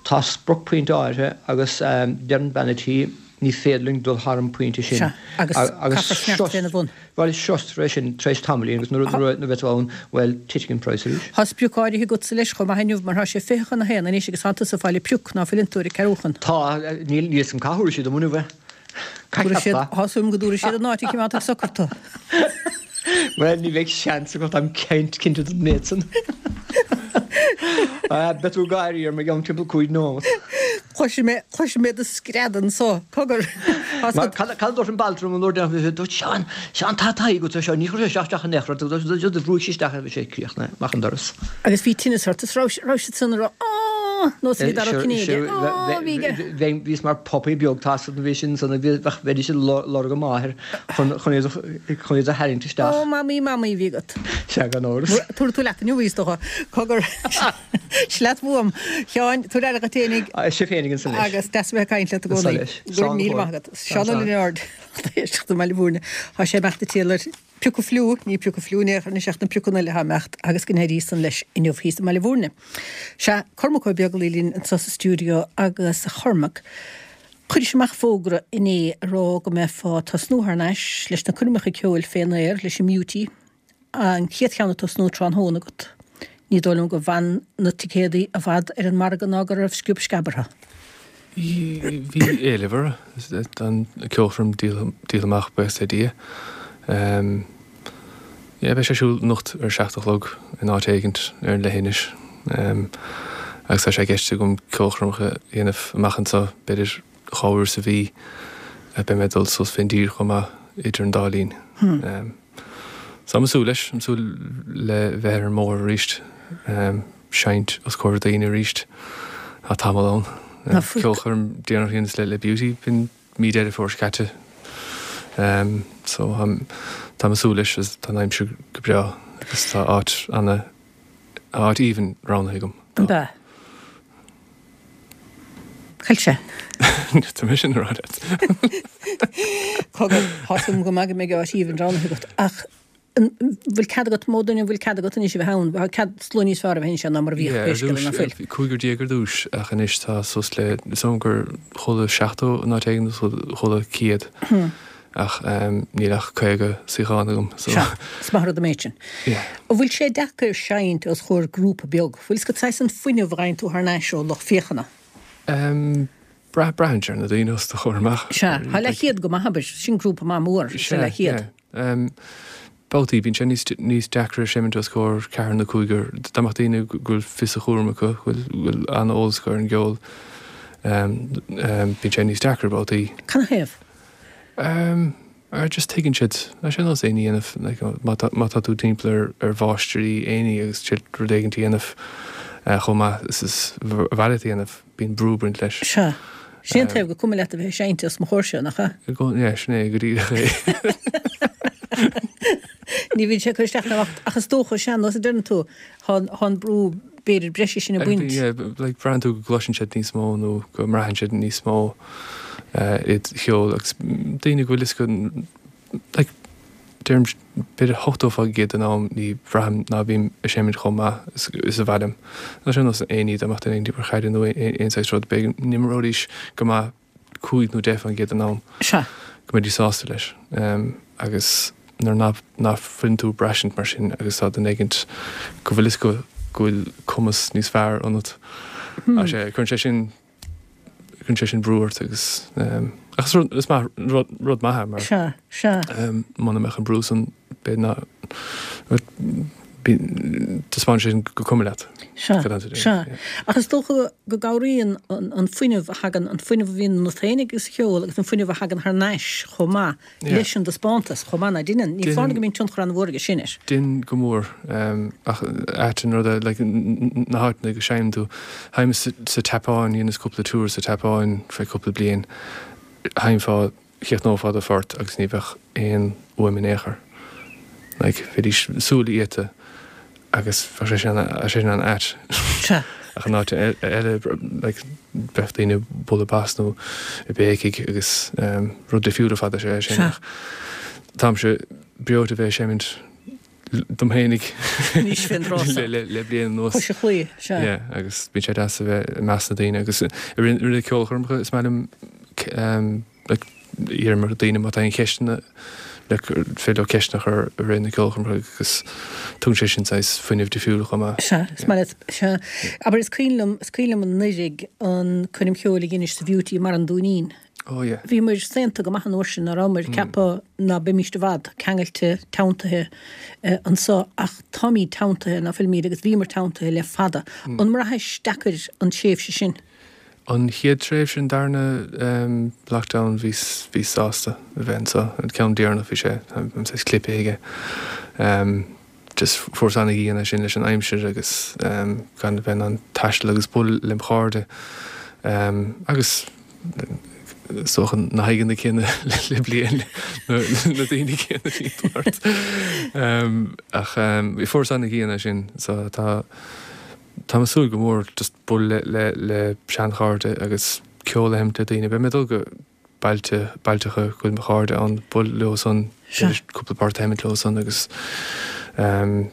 tá spriocphointe áirithe agus deireann bean a' tí, Ní féidir linn dul thar an bpointe sin. Sea, agus caithfear sneachta féna bhun. Bhuel, sroichtear é sin tar éis tamaillín agus nuair a bheidh tú ann, bhuel, titfidh an praghas arís. Tá sprioc áirithe agatsa leis chomh maith inniu mar tá sé 20 chun a haon anois agus tánn tusa ag fáil prioc ná fuil iontu ar an gceathrúchan. Tá, níl 'fhios a'm cá thabharfaidh siad dom inniu é. Cá cheapfá? Tá súil agam go dtabharfaidh siad an áit a choimeádfaidh socair tú. Bhuel, ní bheidh seans agat, táim cinnte den méid san. Beidh tú ag gáirí orm i gceann timpeall 5 nóiméad. Cloisfidh mé, cloisfidh mé do scread anso, cogar. Mar cad a dúirt an bhaltra liom an uair deireanach, dúirt Seán, Seán, tá taghaidh agat seo, ní chuir sé isteach in aon chor, do bhrúigh sé isteach é, bhí sé críochnaithe, amach an doras. Agus bhí tinneas ort, is raibh, raibh siad san a rá, Á! Nós a bhí Dara Ó Cinnéide. Ó, bhí aige. Bhíos mar puppy beag tá 's agat bhí sin san bheidís ag lorg a máthair chun iad chun iad a tharraingt isteach. Ó, mamaí, mamaí a bhí agat. Sea, gan amhras. Tabharfaidh tú leat inniu í, is dócha. Cogar. Sleat bhuam. Sheáin, tabhair aire dhuit fhéinig. Sibh fhéinig ansan leis. Agus deas a bheith ag caint leat i gcónaí. Go raibh míle maith agat. Seán Ó Lionáird, lucht éisteachta i mBaile Bhúirne. Tá sé ag imeacht ag triall ar Piocadh Fliú, ní piocadh fliú in aon chor anois ach na piocanna eile atá ag imeacht agus go n-éirí san leis inniu thíos i mBaile Bhúirne. Sea, Cormac Ó Beaglaoi linn anseo sa stiúideo agus a Chormaic, chuiris amach fógra inné a rá go mbeifeá ag tosnú thar n-ais leis na coirmeacha ceoil fén aer leis an mBeauty, an chéad cheann ag tosnú tráthnóna agat. Ní dóigh liom gur bhfan na ticéadaí i bhfad ar an margadh ná go raibh sciob sceab orthu. Bhí éileamh orthu. Tá an ceolchoirm díolta amach, buíochas le Dia. Yeah, beidh sé ar siúl anocht ar a 7 a chlog in áit éigint ar an leithinis. Agus tá sé i gceist agam ceolchoirmeacha a dhéanamh amach anseo, b'fhéidir 2 uair sa mhí. Beidh mé ag dul suas fén dtír chomh maith idir an dá linn. So I'm ag súil leis, I'm ag súil le bheith ar an mbóthar arís, seinnt os comhair daoine arís. Tá tamall ann. Ceolchoirm deireanach a dheineas le Beauty, b'in mí Deireadh Fómhair seo caite. So táim ag súil leis agus tá an aimsir go breá agus tá áit ana, áit aoibhinn roghnaithe agam. An ea? Cá bhfuil sé? Tá mé sin a rá leat. Cogar, tá 's agam go maith go mbeidh áit aoibhinn roghnaithe agat, ach an bhfuil cead agat, mó duine an bhfuil cead agat anois a bheith ann? Tá cead slua níos fearr a bheith ansin ná mar a bhíodh pé scéal é, ná fuil? Bhí 15 ar dtús ach anois tá suas le, is dóigh liom gur chuala 70 in áit éigin nó chuala 100 ach níl ach 50 suíochán agam so. Sea, is maith an rud an méid sin. Yeah. An bhfuil sé deacair seinnt os chomhair grúpa beag? Bhfuil 's agat saghas an fuinneamh a fhaigheann tú thar n-ais ó lucht féachana? Em, brath, braitheann sé ar na daoine os do chomhair amach. Sea, tá leathchéad go maith abair, sin grúpa maith mór, sea, leathchéad. Yeah, em, babhtaí, bíonn sé níos, níos deacra seimint os comhair ceathrar nó cúigear, dá mbeadh daoine go bhfuil fios a chúraim acu, go bhfuil, go bhfuil an-eolas acu ar an gceol, em, em, bíonn sé níos deacra babhtaí. Canathaobh? Em, ar just tuigeann siad, tá sé nós éinne a dhéanamh, like, má tá, má tá tú timpeall ar, ar mháistrí éinne agus siad rud éigin a dhéanamh eh, chomh maith is is ba mhaith leat a dhéanamh, bíonn brú ag baint leis. Sea. Sin an taobh gur cuma leat a bheith ag seinnt os mo chomhair-se, nach ea? Go, yeah, sin é, go díreach é. Ní bhíonn sé ag cur isteach ná amach, ach is dócha, sea, nós a deireann tú, Tá an brú b'fhéidir breise sin ag baint. Yeah, like braitheann tú go gcloiseann siad níos mó nó go mbraitheann siad níos mó id cheol agus daoine go bhfuil fhios acu like deirim b'fhéidir 80% den am ní bhraithim ná bím ag seimint chomh maith is is a mhaith liom. Tá sé nós aon ní dá mbeadh duine éigin mar chaide nó aon saghas rud b'fhéidir go n-imreoidís go maith 5 nó 10% den am Sea. go mbeidís sásta leis. Agus nuair ná ná fuileann tú ag braistint mar sin agus tá duine éigint go bhfuil fhios acu go bhfuil cumas níos fearr ionat, tá sé, cuireann sé sin, cuireann sé sin brú ort agus ach is rud, is maith, rud, rud maith é mar Sea, sea. muna mbeadh an brú san b'fhéidir ná, taispeánann sé sin gur cuma leat. Sea, sea. Ach is dócha go gcabhraíonn an fuinneamh a thagann, an fuinneamh a bhíonn ionat féin agus sa cheol agus an fuinneamh a thagann thar n-ais chomh maith leis an dtaispeántas chomh maith, ná deineann? Ní foláir nó go mbíonn tionchar an-mhór aige sin air. Deineann go mór. Ach ait an rud é, like, na háiteanna go seinneann tú. Sheinneas sa tSeapáin, dheineas cúpla tour sa tSeapáin fé cúpla bliain. Sheinnfeá Chríochnófá do phort agus ní bheadh aon fhuaim in aon chor. Like, bheidís súil iata agus bheadh sé sin, sé sin an-ait. Sea. Ach in áit eile, like, bheadh daoine ag bualadh bas nó ag béicigh agus rud difriúil ar fad is ea é sin. Sea. Ach táimse breoite a bheith ag seimint dom fhéinig Anois fén dtráth so. le bliain anuas. Cois an chlaí, sea. Yeah, agus bíonn sé deas a bheith i measc na daoine agus i rith na ceolchoirmeacha is maith liom like iarraim ar daoine má tá aon cheisteanna like féidir leo ceisteanna a chur i rith na ceolchoirmeacha agus tugann sé sin saghas fuinneamh difriúil chomh maith. Sea, is maith leat, sea. Abair, is cuimhin liom, is cuimhin liom anuraidh an coirm cheoil a dheinis sa Bheauty i mBarra an Dúinín. Oh yeah. Bhíomair saonta go maith an uair sin, ná rabhamair, ceapadh ná beimíst i bhfad ceangailte, teanntaithe anso, ach táimíd teanntaithe, ná fuilimíd, agus bhíomair teanntaithe le fada. An mbraithis deacair an tréimhse sin? An chéad tréimhse, an darna lockdown, bhíos, bhíos sásta a bheith anso. An ceann deireanach bhí sé, táim saghas clipthe aige. Just fuaireas an-dhian é sin leis an aimsir agus gan a bheith in ann taisteal agus bualadh lem chairde agus is dócha na haghaidheanna céanna le bliain na daoine céanna timpeall ort. Ach fuaireas an-dhian é sin so tá tá mé ag súil go mór just bualadh le le seanchairde agus ceol a sheinmt le daoine. Beidh mé ag dul go bailte, bailteacha go bhfuil mo chairde ann, bualadh leo san, cúpla port a sheimint leo san agus ehm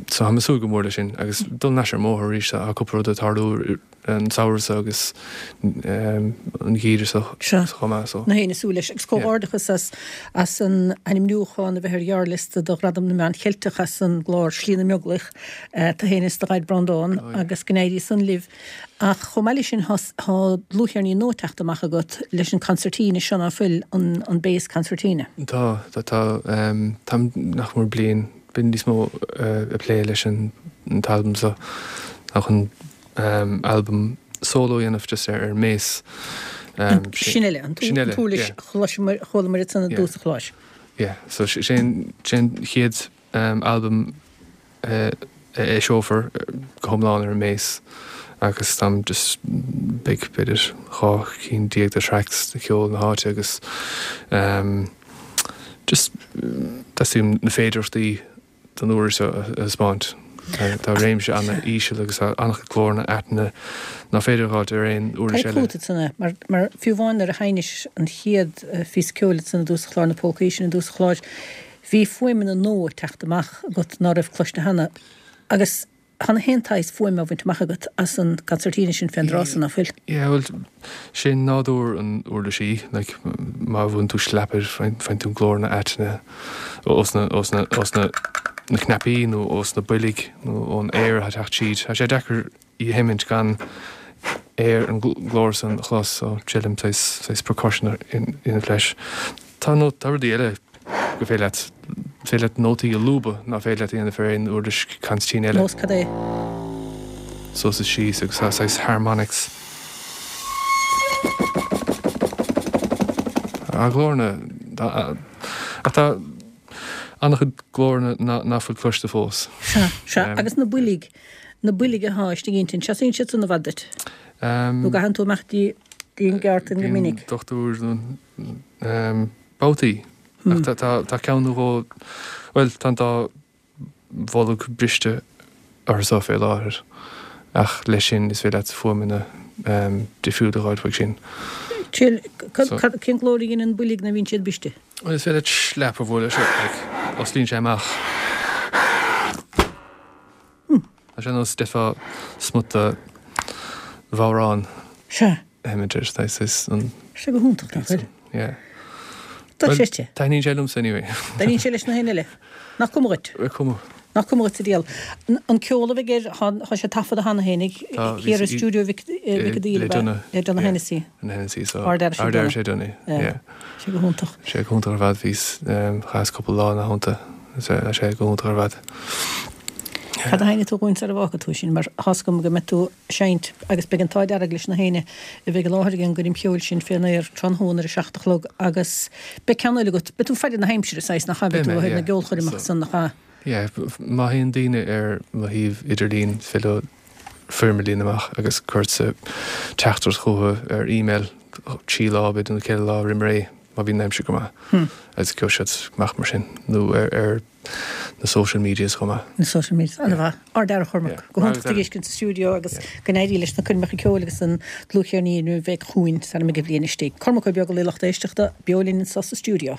so tá mé ag súil go mór leis sin agus dul ar ais ar an mbóthar arís, tá cúpla rud ag tarlú an samhradh seo agus ehm an geimhreadh seo chomh maith so. Na héinne ag súil leis agus comhghairdeachas as as an ainmniúchán a bheith ar ghearrliosta do Ghradam na Meán Cheilteach as an gclár Slí na mBeaglaoich, tú féin is do dhaid Breandán agus go n-éirí san libh. Ach chomh maith leis sin tá dlúthcheirnín nua ag teacht amach agat leis an concertina seo ná fuil, an bass concertina. Tá, tá, tá. Táim nach mór bliain, b'fhéidir níos mó ag plé leis an t-albam seo. Tá chun albam solo a dhéanamh just ar an mbass. Sin eile, an t-uirlis a chualamar ansan i dtús an chláir. Yeah, so sé an chéad albam a eiseofar go hiomlán ar an mbass agus táim just beidh b'fhéidir 12 cinn de tracks de cheol na háite agus just teastaíonn na féidearthachtaí don uirlis seo a thaispeáint. Tá réimse an-íseal agus tá an-chuid glóranna aiteanna ná féidir a dh'fháilt ar aon uirlis eile. Tá fút ansan é, mar, mar fiú amháin nuair a sheinnis an chéad phíosa ceoil ansan i dtús an chláir, na polcaí sin i dtús an chláir, Bhí fuaimeanna nua ag teacht amach agat ná raibh cloiste cheana, agus tá na haon tsaghas fuaime á bhaint amach agat as an gconsairtíne sin fén dtráth san, ná fuil? Yeah, bhuel, sé nádúr an uirlis í, like, má bhuaileann tú sleap air, faigheann tú glóranna aiteanna ós na, ós na, ós na, na cnaipí nó ós na boilg nó ón aer atá ag teacht tríd. Tá sé deacair í a sheimint gan aer an glór san a chlos so triailim saghas, saghas percussion a dhéanamh leis. Tá nó, tá rudaí eile gur féidir leat, féidir leat nótaí a lúbadh ná féidir leat a dhéanamh ar aon uirlis consairtín eile. Nós cad é? Suas is síos agus tá saghas harmonics. Tá glóranna, tá, ach tá an-chuid glóranna ná, ná fuil cloiste fós. Sea, sea, agus na boilg, Na boilg athá istigh inti, an seasaíonn siad san i bhfad duit? Nó an gcaitheann tú amach dtí an gceártain go minic? Bíonn dochtúir nó babhtaí. Ach tá ceann nó dhó, bhuel, tá an dá bholg briste orthu seo fé láthair. Ach leis sin is féidir leat fuaimeanna difriúla a dh'fháil uaidh sin. Cén glór a dheineann boilg nuair a bhíonn siad briste? Bhuel, is féidir leat sleap a bhualadh leis, like, osclaíonn sé amach. Tá sé ar nós déarfá smut de bhodhrán. Sea. A sheimint air, saghas an. Sé go hiontach, nach bhfuil? Yeah. Dochreidte. Taitníonn sé liomsa anyway. Taitníonn sé leis na héinne eile. Nach cuma dhuit? Cuma. Nach cuma dhuit sa diabhal. An ceol a bheidh air, tá sé taifeadta cheana féinig, thiar i stiúideo Mhic a' Doíl, Le Donagh. Le Donagh Hennessy. Le Hennessy, so. Ard-fhear sé Donagh. Yeah. Sé go hiontach. Sé go hiontach ar fad, bhíos, chaitheas cúpla lá ina theannta. Sé go hiontach ar fad. Cad a sheinnfidh tú dhúinn sar a bhfágfaidh tú sinn, mar tá's agam go mbeidh tú ag seinnt agus beidh an t-ádh dearg leis na héinne a bheidh i láthair ag an gcoirm cheoil sin fén aer tráthnóna ar a 7 a chlog agus beidh ceann eile agat, beidh tú ag faire na haimsire saghas nach ea, beidh tú ar na gceolchoirmeacha san nach ea? Yeah, má théann daoine ar mo shuíomh idirlín is féidir leo foirm a líonadh amach agus cuirfeadsa teachtaireacht chucu ar email 3 lá b'fhéidir nó 4 lá roim ré má bhíonn an aimsir go maith agus gheobhaidh siad amach mar sin nó ar na social medias chomh maith. Na social medias, an-mhaith. Ard-fhear a Chormaic. Go hiontach tú a dh'fheiscint sa stiúideo agus go n-éirí leis na coirmeacha ceoil agus an dlúthcheirnín a bheidh chugainn sara mbeidh an bhliain istigh. Cormac Ó Beaglaoich, lucht éisteachta, beo linn anseo sa stiúideo.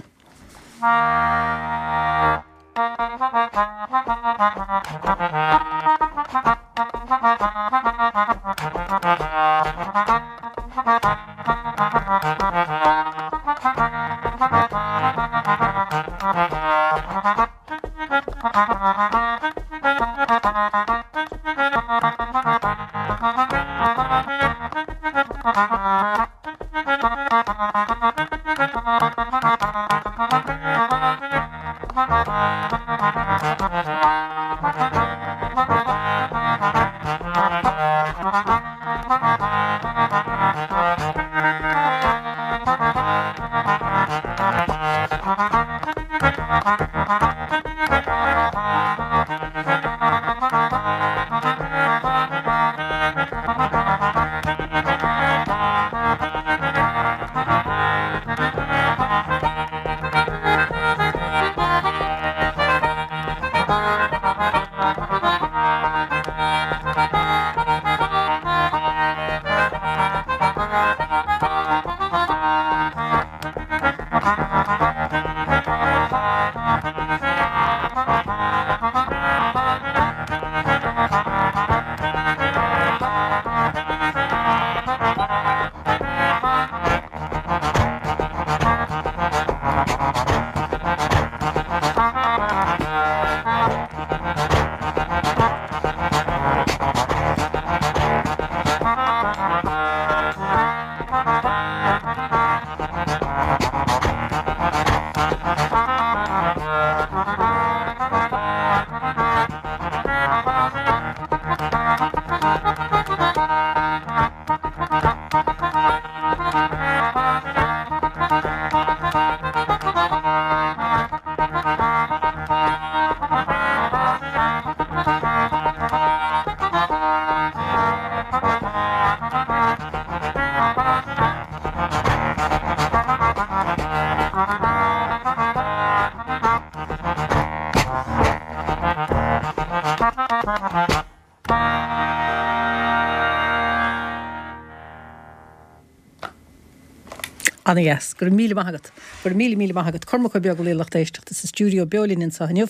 Ana-dheas. Go raibh míle maith agat. Go raibh míle, míle maith agat. Cormac Ó Beaglaoich, lucht éisteachta sa stiúideo beo linn anseo inniu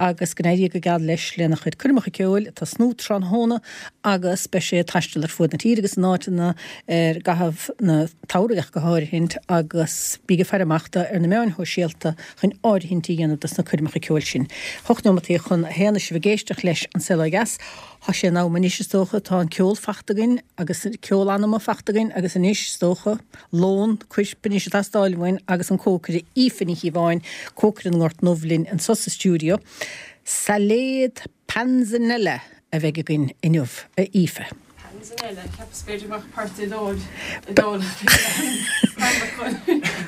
agus go n-éirí go geal leis lena chuid coirmeacha ceoil ag tosnú tráthnóna agus beidh sé ag taisteal ar fuaid na tíre agus in áiteanna i gcaitheamh na tsamhraidh ach go háirithint agus bíg ag faire amach dó ar na meáin shóisialta chun áirithintí a dhéanamh dos na coirmeacha ceoil sin. Hocht neomataí chun a haon is sibh ag éisteacht leis An Saol Ó Dheas. Tá sé in am anois is dócha, tá an ceol fachta againn agus ceol anama fachta againn agus anois is dócha, lón coirp anois ag teastáil uainn agus an cócaire Aoife Ní Chíobháin, cócaire na nGort nDubh linn anso sa stiúideo. Sailéad Panzanella a bheidh againn inniu, a Aoife. Panzanella, cheapas b'fhéidir go mbeadh port Iodáil, Iodálach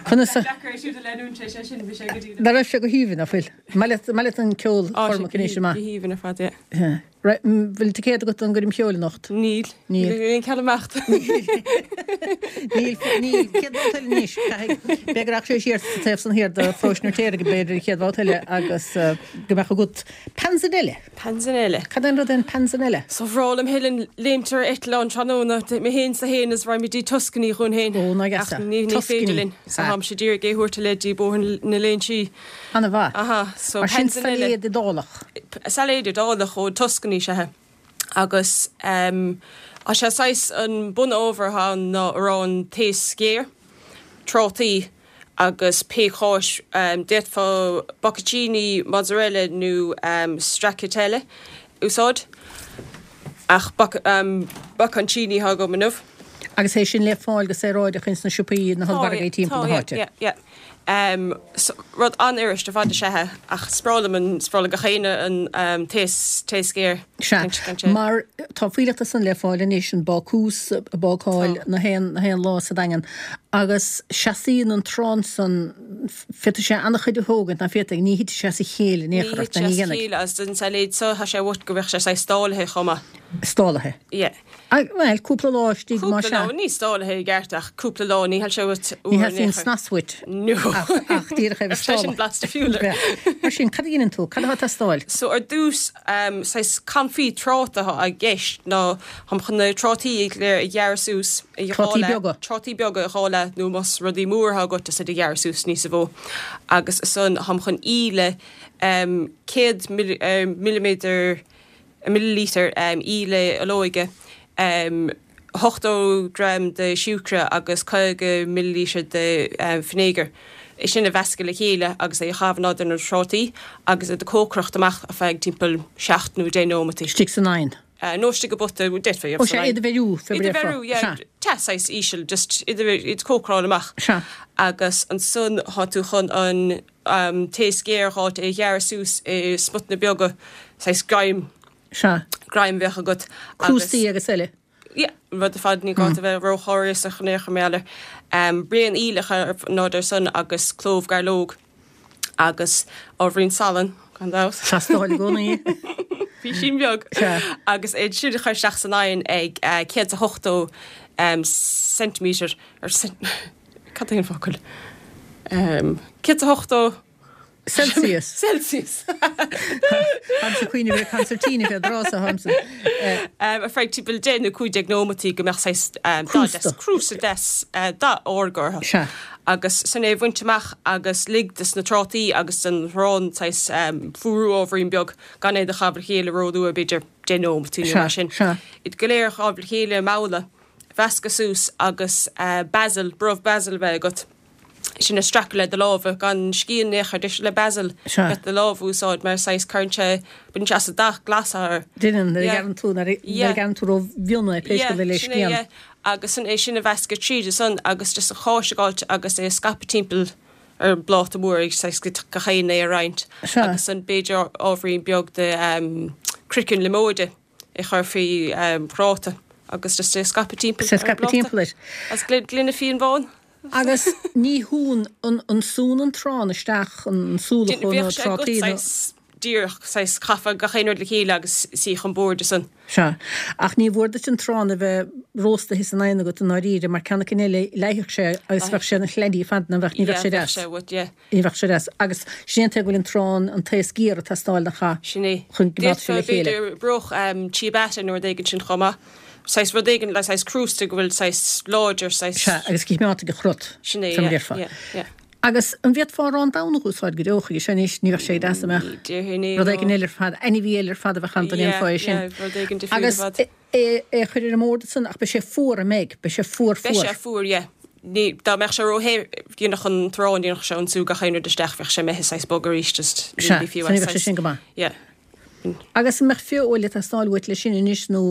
Conas a. Deacair é siúd a leanúint é sin, bhí sé go dtí. Nach raibh sé go haoibhinn, ná fuil? Maith leat an ceol Chormac anois, an maith? Go haoibhinn ar fad, yeah. Right, bhfuil ticéad agat don gcoirm cheoil anocht? Níl. Níl. Níl aon ceann amach. Níl, níl. Chéad bhabhta eile anois, caithfidh, b'fhéidir go raghadh sé siar sa taobh san thiar do Phróis an Fheirtéaraigh b'fhéidir an chéad bhabhta eile agus go mbeadh agat Panzanella. Panzanella. Cad é an rud é an Panzanella? So bhreá liom Helen léimt ar eitleán tráthnóna, mé féin 's é féin is raghaimid dtí Tuscany dhúinn féin. Ó, ná deas. Ach ní Tuscany. féidir linn. So tháimse d'iarraidh é a thabhairt i leith dtí Bóthar na Léinsí. Ana mhaith. Aha, so Mar sin Panzanella. sailéad Iodálach. Sailéad Iodálach ó Tuscany is ea é. Agus ehm tá sé saghas, an bunábhar atá ann ná arán taos géar, trátaí agus pé cáis, ehm d'fhéadfá bocconcini, mozzarella nó ehm stracciatella a úsáid. Ach boc, ehm bocconcini atá agam inniu. Agus é sin le fáil go saoráideach ins na siopaí, na hollmhargaí timpeall na Tá, háite. yeah, yeah, yeah. Rud an-fhuirist ar fad is ea é, ach is breá liom an, is breá le gach éinne an taos, taos géar. Sea, mar tá fuílleach de san le fáil anois, an bácús a bácáil na haon, na haon lá sa Daingean, agus seasaíonn an t-arán san, féadfaidh sé an-chuid a thógaint, ná féadfaidh, ní thitfidh sé as a chéile in aon Ní chor, thitfidh ná ní sé as a dhéanfaidh. chéile, agus don sailéad seo, tá sé uait go mbeadh sé saghas stálaithe chomh maith. Stálaithe? Yeah. Bhuel, cúpla lá istigh, má Cúpla sea. lá, ní stálaithe i gceart ach cúpla lá, ní theil sé uait Ní uair in theastaíonn aon chor. snas uait No. ach, ach díreach é bheith Sé sin stálaithe. blasta fiú le. Yeah. Mar sin, cad a dheineann tú? Cad atá ag teastáil? So ar dtús, um, saghas confit tráta atá i gceist ná táim chun na trátaí go léir a ghearradh suas i dhá Trátaí leath, beaga. trátaí beaga i dhá leath nó más rudaí móra atá agat is iad a ghearradh suas níosa mhó. Agus ansan táim chun íle, um, 100 mil, um, milliméadar, millilítear íle olóige, 80 gram de shiúcra agus 50 millilítear de fhínéagar. É sin a mheascadh le chéile agus é a chaitheamh in airde ar na trátaí agus iad a chócaireacht amach ar feadh timpeall 7 nó 10 nóimeataí. Istigh san oigheann. Nó istigh i bpota, d'fhéadfá Ó sea, iad a bheiriú, fé Iad a bheiriú, yeah. Teas saghas íseal, just iad a chócaráil amach. Sea. Agus ansan tá tú chun an taos géar a dh'fháilt é a ghearradh suas i smutanna beaga, saghas greim, Sea. greim a bheadh agat agus. Crústaí agus eile. Yeah, rud ar fad, ní gá duit a bheith róchórasach in aon chor mar gheall air. Braon íle a chur in airde air san agus clóbh gairleog agus ábhairín salainn, gan dabht. Teastáil i gcónaí. Písín beag. Sea. Agus iad siúd a chur isteach san oigheann ag 180 ceintiméadar, or cent. Cad é an focal? 180. Celsius. Celsius. Táimse ag cuimhneamh ar concertina fé dtráth agamsa. Ar feadh timpeall 10 nó 15 nóimeataí go mbeadh saghas dath deas, crústa deas, dath órga orthu. Sea. Agus sin é a bhaint amach agus lig dos na trátaí agus don arán saghas fuarú ábhairín beag gan iad a chaitheamh le chéile róluath, b'fhéidir 10 nóimeataí nó mar sin. Sea, sea. Iad go léir a chaitheamh le chéile i mbabhla. mheascadh suas agus basil, brobh basil a bheith agat, sin a stracadh le do lámha, gan scian in aon chor, just le basil le do lámh a úsáid mar saghas cuireann sé, baineann sé as an dath glas air. Déanann, nuair a ghearrann tú, nuair a ghearrann tú ró-mhion é, pé scéal é le scian. Yeah, agus sin é sin a mheascadh tríd ansan agus just an cháis a dh'fháilt agus é a scaipeadh timpeall ar an bpláta mór ag saghas gach aon é a roinnt agus an b'fhéidir ábhairín beag de craiceann liomóide. é chur faoi thráta agus just é a scaipeadh timpeall ar an bpláta. Agus gloine fíon bhán. Agus ní shúnn, an súnn an t-arán isteach an súlach ó na Bheadh sé agat trátaí nó. saghas díreach saghas chaithfeá gach aon rud le chéile agus suí chun boird ansan. Sea. Ach ní mhór duit an t-arán a bheith róstaithe san oigheann agat i ndáiríre mar ceann acu eile leáfadh sé agus bheadh sé ina shleaidí fad ná bheadh, ní bheadh Yeah, sé bheadh deas. sé uait, yeah. Ní bheadh sé deas. Agus sin é an tuige go bhfuil an t-arán, an taos géar ag teastáil nach ea? Sin é. Chun go mbeadh sé D'fhéadfá le chéile. b'fhéidir bruach ciabatta nó rud éigin sin chomh maith. Saghas rud éigin le saghas crústa go bhfuil saghas láidir, saghas. Sea, agus coimeádfaidh a chrut. Sin é, yeah, yeah, yeah. Agus an bhféadfá arán Domhnach a úsáid go deo chuige seo anois? Ní bheadh sé deas an mbeadh? Déarfainn é, Rud éigin eile ar fad, ainmhí eile ar fad a bheadh ann don ndéanfá é sin. Yeah, yeah, rud éigin difriúil ar Agus fad. é a chur ar an mbord ansan, ach beidh sé fuar, an mbeidh? Beidh sé fuar Beidh fuar. sé fuar, yeah. Ní, dá mbeadh sé ró-the, dhéanfadh an t-arán, dhéanfadh sé ionsú gach aon rud isteach, bheadh sé imithe saghas bog arís, just Sea, ní fiú so é, ní bheadh sé saghas, sin go maith. yeah. Agus an mbeadh fia-fheoil ag teastáil uait leis sin anois nó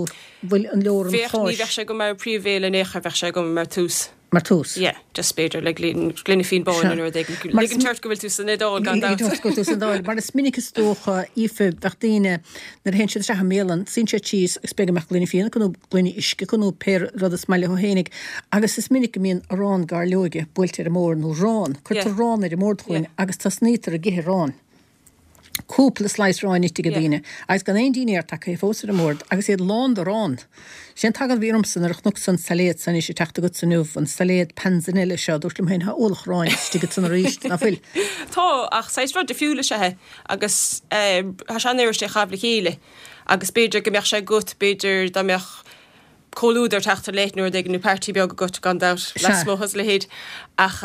bhfuil an leor an Bheadh, ní cháis? bheadh sé agam mar príomhbhéile in aon chor, bheadh sé agam mar tús. Mar tús? Yeah, just b'fhéidir le gloine fíon báin Sea. nó rud éigin. Mar is Ligint ort go bhfuil tú san Iodáil gan Ligint dabht. ort go bhfuil tú san Iodáil. Mar is minic is dócha, Aoife, bheadh daoine, nuair a théann siad isteach i mbialann, suíonn siad síos agus b'fhéidir go mbeadh gloine fíon acu nó gloine uisce acu nó pé rud is maith leo fhéinig agus is minic go mbíonn arán gairleoige buailte ar an mbord nó arán, Yeah. cuirtear arán ar an mbord chugainn Yeah. agus tosnaítear ag ithe aráin. Cúpla slice aráin ite ag daoine agus gan aon dínnéar tagtha fós ar an mbord agus iad lán d'arán. Sé an t-eagal a bhí ormsa nuair a chonacsa an sailéad san anois ag teacht agatsa inniu, an sailéad panzanella seo, dúirt liom féin, tá ualach aráin istigh ansan arís, ná fuil? Tá, ach saghas rud difriúil is ea é agus tá sé an-fhuirist é a chaitheamh le chéile agus b'fhéidir go mbeadh sé agat, b'fhéidir dá mbeadh comhluadar ag teacht i leith nó rud éigin nó party beag agat gan dabht, lasmuigh agus a leithéid ach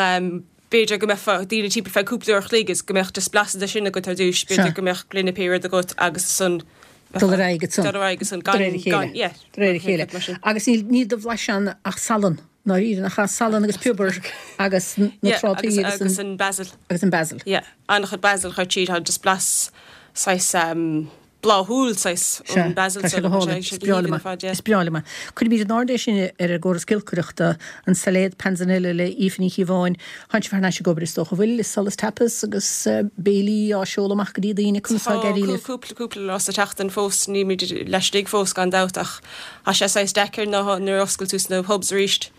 B'fhéidir go mbeifeá daoine timpeall feadh cúpla uair a chloig is go mbeadh just blaiseadh de sin agat ar dtúis, b'fhéidir go mbeadh gloine pé rud agat agus ansan Dul ar aghaidh ansan. Dul ar aghaidh ansan De réir a gan, chéile. yeah. De réir a chéile. Agus níl, níl de bhlaiseadh ann ach salann, ndáiríre, nach ea? Salann agus piobar agus na Yeah, trátaí agus, agus an. agus an basil. Agus an basil. Yeah, an-chuid basil a chur tríd, tá just blas saghas um, bláthúil saghas Sea, ón basil tá sé go hálainn. Is breá liom é. Is breá liom é. Cuirfimid in airde é sin ar an gcóras giolcaireachta, an sailéad panzanella le Aoife Ní Chíobháin. Tánn sibh thar n-ais ag obair is dócha, an bhfuil, i Solas Tapas agus béilí á seoladh amach go dtí daoine, conas tá ag éirí libh? Tá cúpla, cúpla lá sa tseachtain fós, nílimid laistigh fós gan dabht ach tá sé saghas deacair nuair a oscail suas na pubs arís.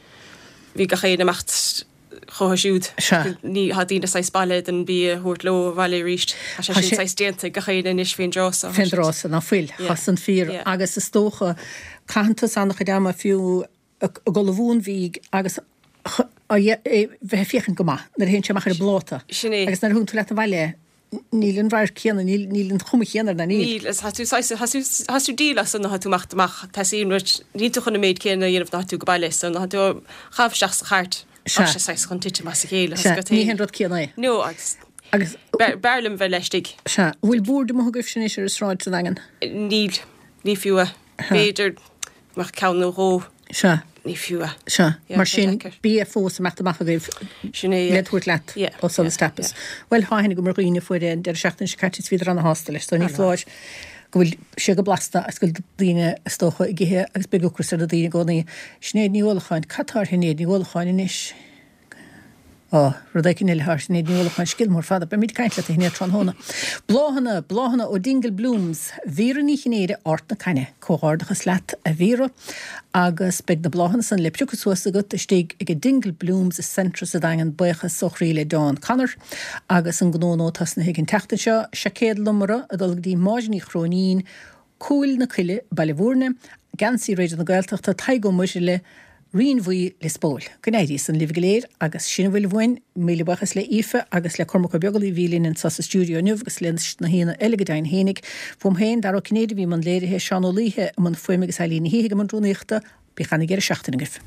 Bhí gach éinne ag imeacht. chucu siúd. Sea. Ní, tá daoine saghas bailithe den bia a thabhairt leo abhaile arís. Tá sé Tá sin sé. saghas déanta ag gach éinne anois faoin dtráth so. Fén dtráth so, ná fuil. Yeah. Tá san fíor. Yeah. Agus is dócha, caitheann tusa an-chuid ama fiú ag ullmhú an bhídh agus é bheith ag féachaint go maith nuair a théann sé amach ar an bpláta. Sin é. Agus nuair a thugann tú leat abhaile é, níl an radharc céanna, níl, níl an chuma chéanna air ná níl. Níl, is tá tú saghas, tá tú, tá tú díol as nuair atá tú ag imeacht amach, teastaíonn uait, níl tú chun an méid céanna a dhéanamh nuair atá tú go baile, so nuair atá tú á chaitheamh isteach sa chairt, tá Sea. sé saghas chun titim as a chéile, Sea, tá ní hé an rud céanna é. No, agus Agus. b'fhearr liom bheith laistigh. Sea, an bhfuil boird amuigh agaibhse anois ar an sráid sa Daingean? Níl, ní fiú é. B'fhéidir go mbeadh ceann nó dhó. Sea. Ní fiú é. Sea. Yeah, Mar tá sin, deacair. bia fós ag imeacht amach agaibh Sin é, le yeah. tabhairt leat Yeah, ó Solas yeah, Tapas. yeah. Bhuel, tá aithne agam ar dhaoine a fuair é an deireadh seachtaine seo caite is bhíodar ana-shásta leis, so ní foláir go bhfuil sé go blasta agus go bhfuil daoine, is dócha, ag ithe agus beidh ocras ar na daoine i gcónaí. Sinéad Ní Uallacháin, cad tá ar Shinéad Ní Uallacháin anois? Á, rud éicint eile ar Shinéad Ní Uallacháin, scéal mór fada. Beimid ag caint leat, a Shinéad, tráthnóna. Bláthanna, bláthanna ó Dingle Blooms, Vera Ní Chinnéide, Ard na Caithne. Comhghairdeachas leat, a Vera, agus beidh na bláthanna san le piocadh suas agat istigh ag Dingle Blooms i Centra sa Daingean. Buíochas ó chroí le Dawn Connor agus an gnó nua tosnaithe aici an tseachtain seo. Seaicéad lomaire ag dul go dtí Máire Ní Chróinín, Cúil na Coille, Baile Bhúirne, Geansaí Raidió na Gaeltachta, Tadhg Ó Muirthile, Rinn Bhuí, Lios Póil. Go n-éirí san libh go léir agus sin a bhfuil uainn. Míle buíochas le Aoife agus le Cormac Ó Beaglaoich a bhí linn anso sa stiúideo inniu agus leis na haíonna eile go deimhin fhéinig. Fúm féin, Dara Ó Cinnéide a bhí i mbun léirithe, Seán Ó Laoithe i mbun fuaime agus Eileen Ní Shíthigh i mbun rúnaíochta. Bíodh ana-dheireadh seachtaine agaibh.